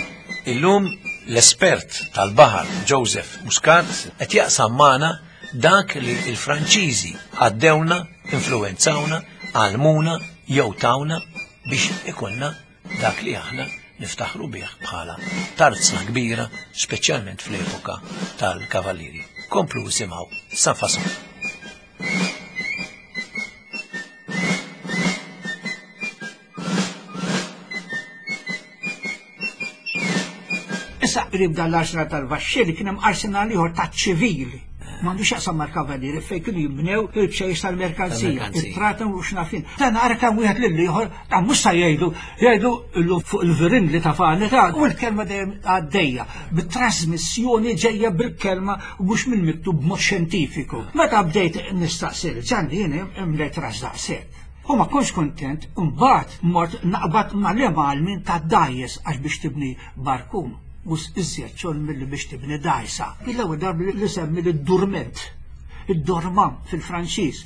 illum l-espert tal-baħar Joseph Muscat qed jaqsam magħna dak li l-Franċiżi għaddewna, influwenzawna, għallmuna jew tawna biex ikollna dak li aħna niftaħru bih bħala tarzna kbira, speċjalment fl-epoka tal-Kavallieri. Komplu isimgħu San Fason. Issa qrib dan l-arsenal tal-vaxxelli kien hemm arsenal ieħor taċ-ċivil. M'għandux jaqsam mal-kavallieri fejn kienu jibnew il-bċejjex tal-merkanzija, it-tratem u x'nafin. Dan ara kemm wieħed lil ieħor, dan mhux sa jgħidu, jgħidu illum fuq il-virin li ta' fani ta' u l-kelma dejjem għaddejja, bit-trasmissjoni ġejja bil-kelma u mhux mill-miktub b'mod xjentifiku. Meta bdejt nistaqsi lil Ġanni jien imlejt ras daqshekk. U ma kontx kuntent, imbagħad mort naqbad mal-imgħallmin tad-dgħajjes għax biex tibni barkun. Mhux iżjed xogħol milli biex tibni dgħajsa. L-ewwel darba li semmi lid-durment, id-dormant fil-Franċiż.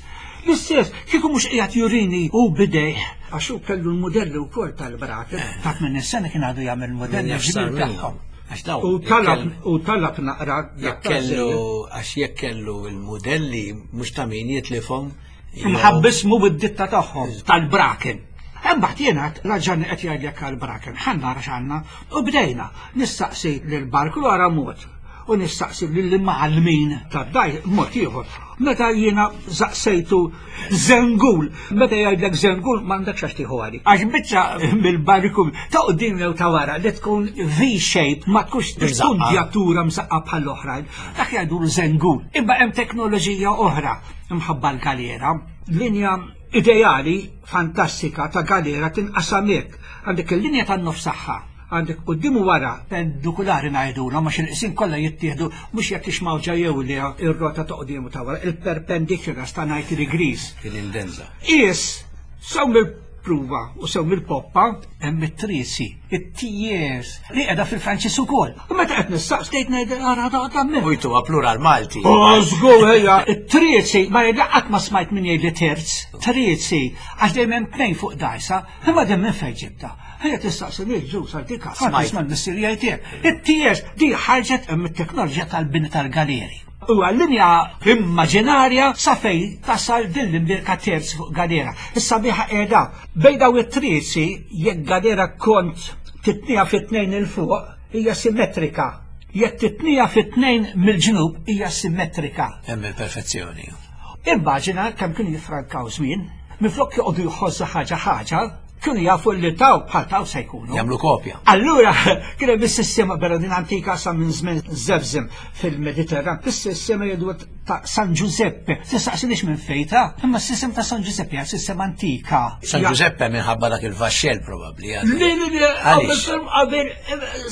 L-istess, kieku mhux qiegħed jurini hu b'idejh, għax hu kellu l-mudelli wkoll tal-braket, eh. ta' minn sena kien għadu jagħmel mudelli ġbir tagħhom. Għax dawn. U talab u talab naqra jekk kellu għax jekk kellu l-mudelli mhux ta' min jitlifhom. Mħabbismu bid-ditta tagħhom tal-braken. Imbagħad jiena raġani qed jgħidlek għall-braken, ħa nara x'għandna u bdejna nistaqsi lil barklu ara mod u nistaqsi lill-imgħallmin tad-daj mod ieħor. Meta jiena saqsejtu żengul, meta jgħidlek żengul m'għandekx għax tieħu għalik. Għax biċċa mill-barku ta' quddiem jew ta' wara li tkun V-shape ma tkunx tkun msaqqa bħall-oħrajn. Dak jgħidu żengul. Imma hemm teknoloġija oħra imħabba l-galera. Linja ideali fantastika ta' galera tinqasam hekk. Għandek il-linja tan-nofs tagħha, għandek quddiem u wara perpendikulari ngħidulhom għax il-qsim kollha jittieħdu mhux jekk hix mawġa jew le ir-rota ta' quddiem u ta' wara, il-perpendiculars ta' 90 degrees. Il-indenza. Qies sew mill-pruva u sew mill-poppa hemm it-triesi, it-tiers li qiegħda fil-Franċiż ukoll. U meta qed nistaqs tgħid ngħid ara da da U jtuha plural Malti. Oh, żgur ejja, it-triesi ma jgħid qatt ma smajt min jgħid li terz, triesi, għax dejjem hemm tnejn fuq dgħajsa, imma dejjem minn fejn ġibta. Ejja tistaqsi lil ġus għal dik smajt mal-missier jgħid hekk. It-ties di ħarġet mit-teknoloġija tal-bini tal-galeri. Huwa linja immaġinarja sa fejn tasal din l-imbierka terz fuq galera. Is-sabiħa qiegħda bejn daw it-triesi jekk galera kont titnija fit-tnejn il fuq hija simmetrika. Jekk titnija fit-tnejn mill-ġnub hija simmetrika. Hemm il-perfezzjoni. Immaġina kemm kienu jiffrankaw żmien, minflok joqogħdu jħożżu ħaġa ħaġa, kienu jafu li taw bħal taw se jkunu. Jagħmlu kopja. Allura kien hemm is-sistema vera din antika sa minn żmien żevżem fil-Mediterran, is-sistema jgħidu ta' San Giuseppe. Tistaqsinix minn fejta, imma s-sistema ta' San Giuseppe hija sistema antika. San Giuseppe minħabba dak il-vaxxell probabbli. Le, le, le, qabel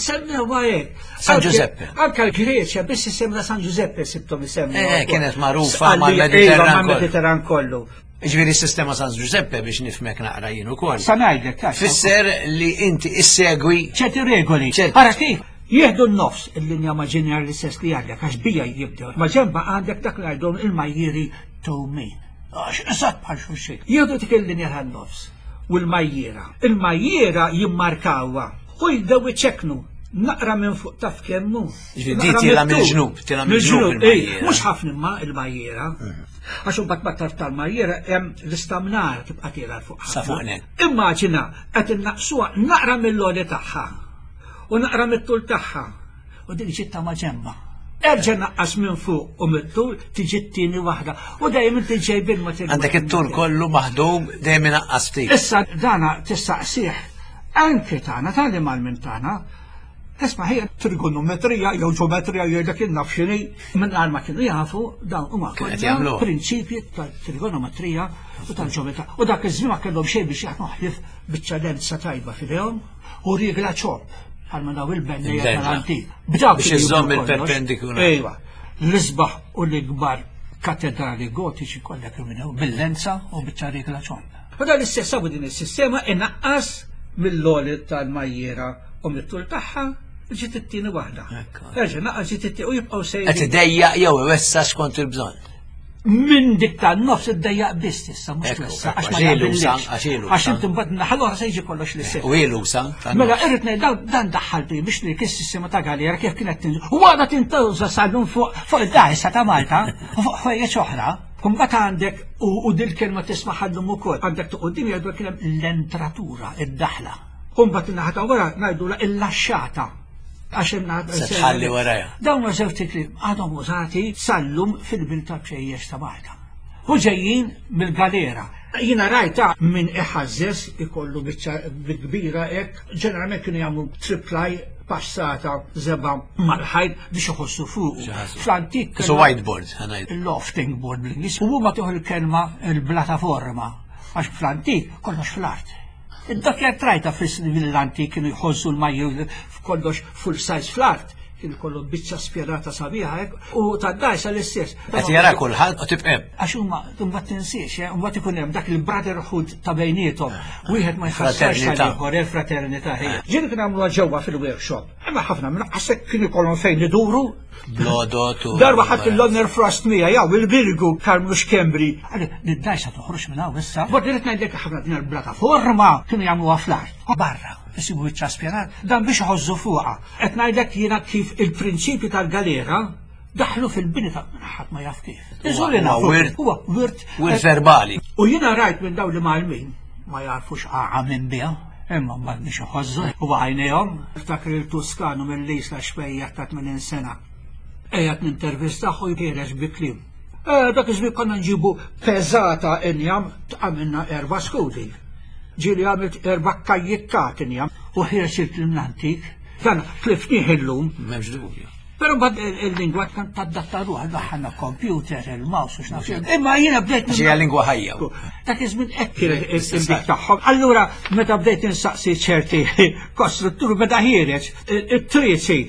semmew hekk. San Giuseppe. Anka l-Greċja biss sistema ta' San Giuseppe sibtom isemmu. Eh, kienet magħrufa mal-Mediterran. Mal-Mediterran kollu. Ġifieri s-sistema San Giuseppe biex nifhmek naqra jien ukoll. Sa ngħidlek. Fisser li inti issegwi ċerti regoli. Ara kif jieħdu n-nofs il-linja maġinjar l-istess li għandek għax bija jibdew. Ma ġemba għandek dak li għajdhom il-majjiri tewmin. Għax eżatt bħal xulxin. Jieħdu dik il-linja tan-nofs u l-majjiera. Il-majjiera jimmarkawha u jibdew iċeknu naqra minn fuq taf kemmu. Ġifieri tila mill-ġnub, tila mill-ġnub. Mhux ħafna imma il-majjiera. Mhm. Għax imbagħad mat-tarf tal-marjiera hemm l-istamnar tibqa' tiela' fuq. Sa fuq net. Immaġina qed innaqsuha naqra mill-għoli tagħha u naqra mit-tul tagħha u din ġiet ta' maġenba. Erġa' naqqas minn fuq u mit-tul tiġi t-tieni waħda u dejjem inti ġej bil-materjal. Għandek it-tul kollu maħdum dejjem inaqqas ftit. Issa dana tistaqsih anke tagħna tal-imal minn tagħna Isma' hija trigonometrija jew ġeometrija jew dak naf x'inhi mingħajr ma kienu jafu dawn huma kollha prinċipji tal-trigonometrija u tal-ġeometrija. U dak iż-żmien ma kellhom xejn biex jaħdmu ħlief biċċa lenza tajba f'idejhom u rigla ċopp bħalma daw il-bennejja tal-antik. B'dawk biex iżomm il-perpendikular. Ejwa, l-isbaħ u l-ikbar katedrali gotiċi kollha kienu bil-lenza u biċċa rigla ċopp. U dan l-istess din is-sistema inaqqas mill-għoli tal-majjiera u mit-tul tagħha ġiet it-tieni waħda. Erġa' naqas ġiet it-tieni u jibqgħu sejrin. Qed idejjaq jew iwessa skont il-bżonn. Minn dik tan-nofs iddejjaq biss issa mhux twessa għax ma jaqbillix. Għax inti mbagħad naħa l-oħra se jiġi kollox l-istess. U ilu sa. Mela irrid ngħid dan daħħal biex li is-sistema ta' galera kif kienet tinżel. U għadha tintuża sal-lum fuq fuq id-dgħajsa ta' Malta u fuq ħwejjeġ oħra. Mbagħad għandek u dil-kelma tisma' ħallum ukoll għandek toqgħod jgħidu kien hemm l-entratura, id-daħla. U mbagħad in-naħa ta' wara ngħidulha il-laxxata. Għax in-naħa Se tħalli warajha. Dawn ma żewġ kliem għadhom użati sal-lum fil-bil ta' bċejjex ta' Malta. U ġejjin mill-galera. Jiena rajta minn iħażżeż ikollu biċċa kbira hekk, ġeneralment kienu jagħmlu triplaj passata żebgħa mal-ħajt biex iħossu fuq. Fl-antik. So whiteboard, ħanajt. Il-lofting board bl-Ingliż. U huma tieħu l-kelma il-plataforma għax fl-antik kollox fl-art. Id-dakjar trajta fis-l-antik kienu jħossu l-majju f'kollox full size fl-art kien kollu biċċa spjerata sabiħa hekk u tad-dajsa l-istess. Qed jara kulħadd u tibqa' Għax huma mbagħad tinsiex, eh, mbagħad ikun hemm dak il-brotherhood ta' bejniethom. Wieħed ma jħassarx tal-ieħor, il-fraternità. Ġieli kien għamluha ġewwa fil-workshop. Imma ħafna minn għasek kien ikollhom fejn iduru. Blodot u. Darba ħadd il-Lonner Frost mija jew il-Birgu Karmnu Xkembri. Għalli, nid-dajsa toħroġ minn hawn issa. Bord irid ngħidlek ħafna din il-plataforma kienu jagħmluha fl-art. Barra, isibu biċċa spjanat, dan biex iħożżu fuqha. Qed ngħidlek jiena kif il-prinċipju tal-galera daħlu fil-bini ta' ħadd ma jaf kif. Iżur li nafu. Huwa wirt. Wirt verbali. U jiena rajt minn dawn li mgħallmin ma jarfux għaqa minn biha. Imma mbagħad biex iħożżu u għajnejhom. Ftakar il-Tuskanu mill-Isla xwejjaħ ta' 80 sena. Qiegħed nintervistah u jħiereġ bi kliem. Eh, dak iż-żmien konna nġibu peżata injam tqamilna erba' skudi. Ġieli għamilt erba' kajjikkat injam u ħiereġ il-kliem l-antik. Dan tlifnih illum. M'hemmx dubju. Pero mbagħad il-lingwa kan tadatta ruħha daħħalna computer, il-mouse u x'naf. Imma jiena bdejt. Ġejja lingwa ħajja. Dak iż-żmien hekk kien il-dik tagħhom. Allura meta bdejt insaqsi ċerti kostrutturi beda ħiereġ it-triċi,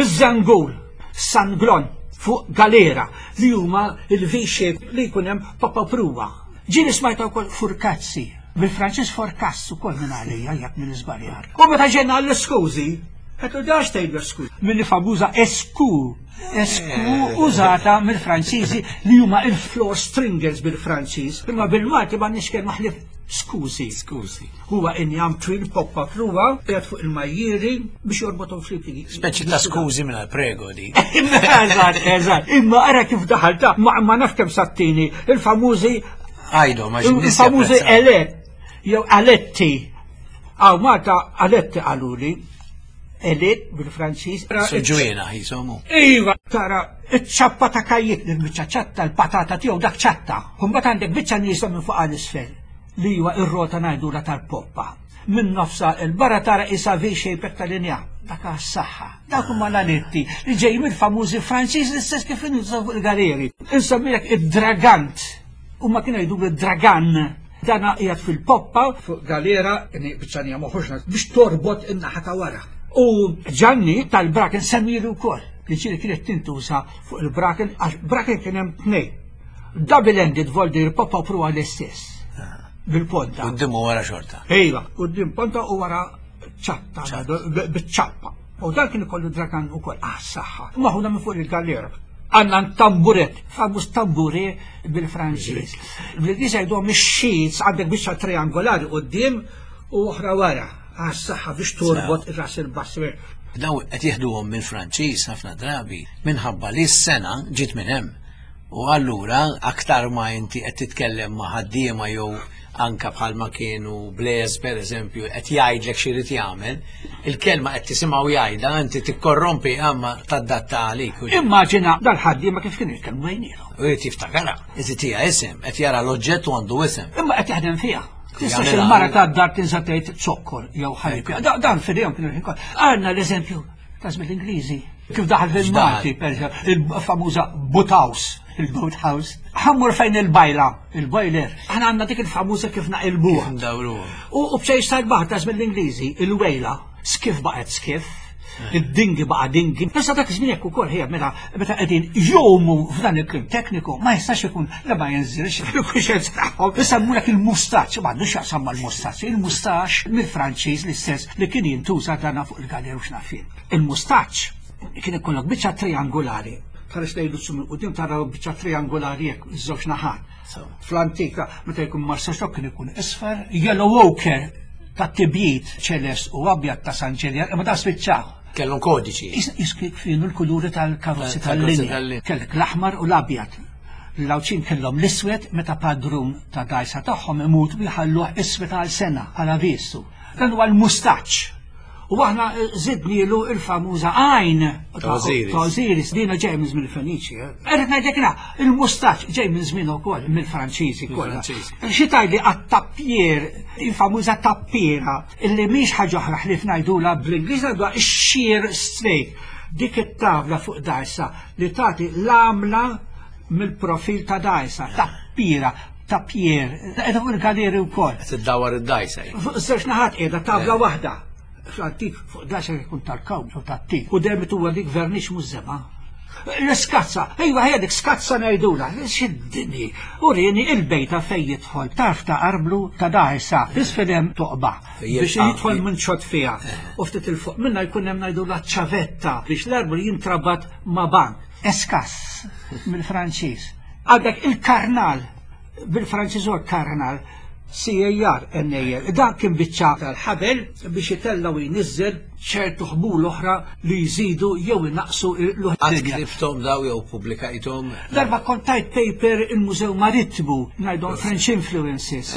iż-żangul, sanglon fuq galera li huma il-V-shape li jkun hemm papa pruwa. Ġieli smajta wkoll furkazzi, bil-Franċiż forkass ukoll minn għalija jekk minn iżbaljar. U meta ġejna għall-iskużi, Qed dax tgħidlu esku. Mill-famuża esku. Esku eh. użata mill-Franċiżi li huma il-floor stringers bil-Franċiż. Imma bil-Malti ma nix kelma ħlief skużi. Skużi. Huwa injam twil poppa pruwa qiegħed fuq il-majjieri biex jorbothom flimkien. Speċi ta' skużi minn prego di. Eżatt, eżatt. Imma ara kif daħal ta' ma naf kemm sattini il-famużi Għajdu, ma Il-famużi elet jew aletti. Għaw Malta aletti qaluli. Elit bil-Franċiż. Ġwina jisomu. Iva, tara, iċ-ċappa ta' kajjik, il-biċċa ċatta, l-patata tiegħu dak ċatta. Mbagħad għandek biċċa nieżla minn fuq għal isfel li huwa ir-rota ngħidula tal-poppa. Minn nofsa il-barra tara isa V-shape tal-linja. Dak għas-saħħa. Dak huma l-aletti li ġej mill-famużi Franċiż l-istess kif inżaw fuq il-galeri. Insemmilek id-dragant. Huma kienu jgħidu dragan. Dana qiegħed fil-poppa fuq galera, biċċanija moħroġna biex torbot in-naħa ta' wara. U Ġanni tal-Braken semmilu wkoll li ġieli kienet tintuża fuq il-Braken għax Braken kien hemm tnejn. Double-ended voldir poppa u pruwa l-istess. Bil-ponta. Qudiem u wara xorta. Ejwa, qudiem ponta u wara ċatta, biċ-ċappa. U dan kien ikollu dragan ukoll għas-saħħa. Maħuna minn fuq il-galera. Għandna tamburet, famuż tamburi bil-Franċiż. Bl-Ingliż jgħiduhom ix-sheets għandek biċċa triangolari quddiem u oħra wara għas-saħħa biex torbot ir-ras il-bass. Daw qed jieħduhom mill-Franċiż ħafna drabi minħabba li s-sena ġiet minn hemm. U allura aktar ma inti qed titkellem ma' ħaddiema jew anka bħalma kienu Blaise per eżempju qed jgħidlek x'irid jagħmel, il-kelma qed tisimgħu jgħidha inti tikkorrompi imma tadatta għalik. Immaġina dal-ħaddiema kif kienu jitkellmu bejniethom. U jrid jiftakarha, iżid hija isem, qed jara l-oġġett u għandu isem. Imma qed jaħdem fiha. Tistax il-mara ta' dar tinsa tgħid zokkor jew ħalib. Dan fidejhom kienu l-ħin kollu. Għandna l-eżempju ta' żmien l-Ingliżi. Kif daħal fil-Malti, per il-famuża boathouse, il-boathouse. Ħammur fejn il-bajla, il-boiler. Aħna għandna dik il-famuża kif naqilbuha. U bċejx tal-baħar ta' żmien l-Ingliżi, il-wejla, skif baqgħet skif, id-dingi baqa' dingi. Issa dak iż-żmien hekk ukoll ħija meta meta qegħdin jomu f'dan il-klim tekniku ma jistax ikun li ma jinżilx fil-kuxjenza tagħhom. Isemmulek il-mustaċ, ma għandux x'jaqsam mal-mustaċ, il-mustaċ mill-Franċiż l-istess li kien jintuża dana fuq il-galer u x'naf jien. Il-mustaċ kien ikollok biċċa triangolari. Tħares lejn l minn quddiem tara biċċa triangolari hekk iż-żewġ naħat. Fl-antika meta jkun Marsaxlokk kien ikun isfar, yellow ochre ta' tibjid ċelest u abjad ta' San Ġiljan, imma da spiċċaw. Kellhom kodiċi. Iskik kienu l-kuluri tal-karozzi tal-linja. Kellek l-aħmar u l-abjad. L-Għawdxin kellhom l-iswed meta padrun ta' dgħajsa tagħhom imut u jħalluh iswed għal sena bħala vistu. Dan huwa l-mustaċċ. U aħna zidnilu il-famuża għajn ta' Osiris. Dina ġej minn żmien il-Feniċi. Eh. Irrid ngħidlek na, il-mustaċ ġej minn żmien ukoll mill-Franċiżi kollha. Xi tgħidli għat-tappier, il-famuża tappiera, illi mhix ħaġa oħra ħlief ngħidulha bl-Ingliż ngħiduha x-sheer straight. Dik it-tavla fuq dajsa li tagħti l-għamla mill-profil ta' dajsa, tappiera Tappier, qiegħda fuq il-galeri wkoll. Qed iddawwar id-dgħajsa. Fuq żewġ naħat qiegħda tavla eh. waħda. Fl-antik fuq dgħajsa jkun tal-kawm jew tat-tik. U dejjem huwa dik vernix mhux żebgħa. L-iskazza, iva ħedek skazza ngħidula, xiddini. Urini il-bejta fej jidħol, tarf ta' arblu ta' dajsa, isfel hemm toqba biex jidħol minn ċot fiha. U ftit il-fuq minna jkun hemm ngħidula ċavetta biex l-arblu jintrabat ma' bank. Eskas mill-Franċiż. Għandek il-karnal, bil-Franċiż huwa karnal, C-A-R-N-A-L. Dan kien biċċa tal-ħabel biex itella' u jniżżel ċertu ħbul oħra li jżidu jew inaqqsu l Qatt ktibthom daw jew pubblikajthom? Darba kont tajt paper il-Mużew Marittimu ngħidhom French Influences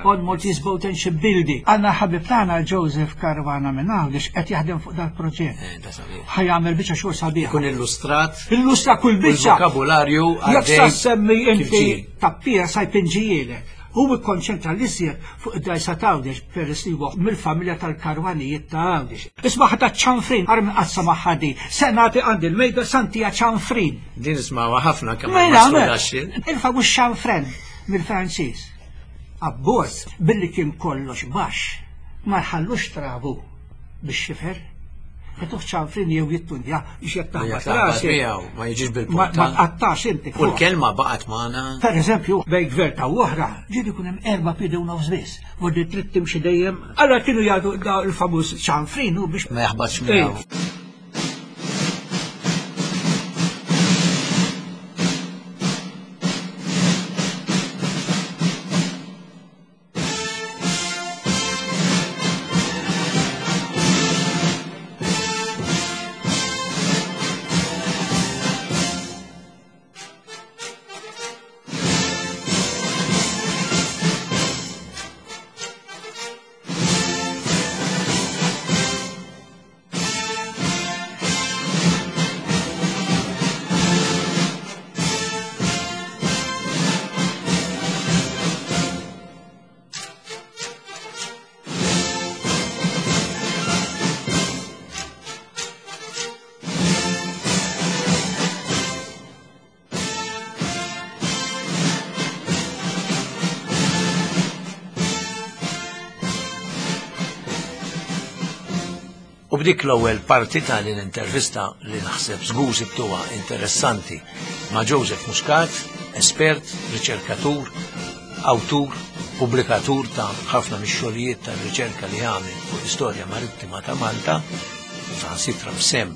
on Maltese Boat and Ship Building. Għandna ħabib tagħna Joseph Caruana minn Għawdex qed jaħdem fuq dal-proġett. Eh, Ħa jagħmel biċċa xogħol sabiħa. Kun illustrat. Illustra kull biċċa. Vokabularju Jekk sa semmi inti tappiera sa jpinġijielek. Hu ikkonċentra l-iżjed fuq id-dgħajsa t'Għawdex peress li huwa mill-familja tal-Karwanijiet ta' Għawdex. Isma' ħa taċ-ċanfrin, ara min qatt samaħha din. Se nagħti għandi l-mejda santija ċanfrin. Din nismawha ħafna kemm Mela, mela. Il-famuż ċanfren mill-Franċiż. Abbord, billi kien kollox baxx, ma jħallux trabu bix-xifer. Jagħtuh ċanfrin jew jittundja biex jekk taħbat rasi. Ma jiġix bil-punta. Ma tqattax inti. U l-kelma baqgħet magħna. Per eżempju, bejn gverta u oħra, ġieli jkun hemm erba' piedi u nofs biss. Vordi trid timxi dejjem. Allora kienu jagħtu il-famuż ċanfrin u biex. Ma jaħbatx miegħu. U b'dik l-ewwel parti ta' din intervista li naħseb żgur sibtuha interessanti ma' Joseph Muscat, espert, riċerkatur, awtur, pubblikatur ta' ħafna mix-xogħlijiet ta' riċerka li għamel fuq l-istorja marittima ta' Malta, u saħansitra b'sehem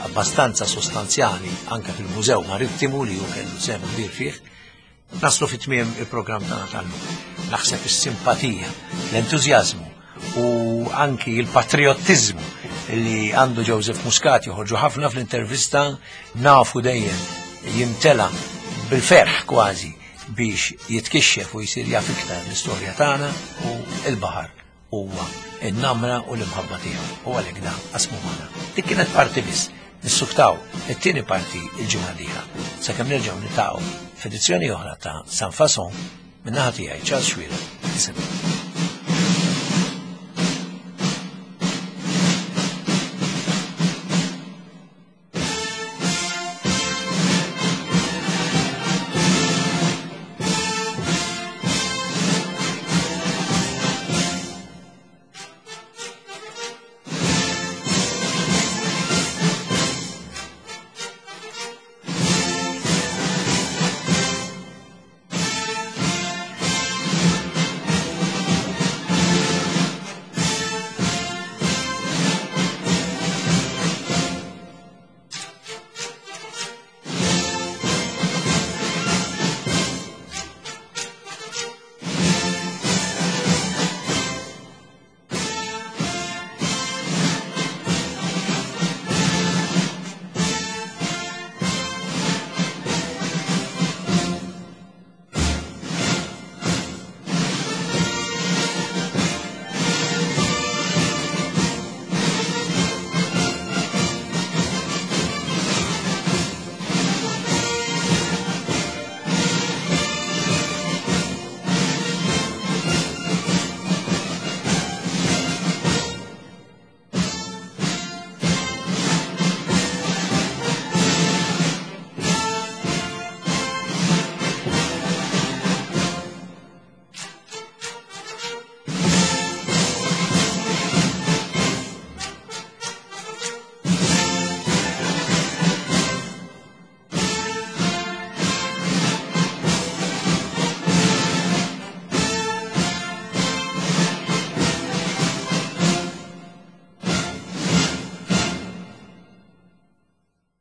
abbastanza sostanzjali anke fil-Mużew Marittimu li hu kellu sehem kbir fih, Naslu fi tmiem il-programm tagħna tal-lum. Naħseb is-simpatija, l-entużjażmu u anki il-patriottiżmu li għandu Joseph Muscat joħorġu ħafna fl-intervista nafu dejjem jimtela bil-ferħ kważi biex jitkixxef u jsir jaf iktar l-istorja tagħna u l-baħar huwa n-namra u l-imħabba tiegħu u għalhekk dan qasmu magħna. Dik kienet parti biss. Nissuktaw it-tieni parti il-ġimgħa d-dieħla. Sakemm nerġgħu niltaqgħu f'edizzjoni oħra ta' San Fason min-naħa tiegħi Charles Xuereb.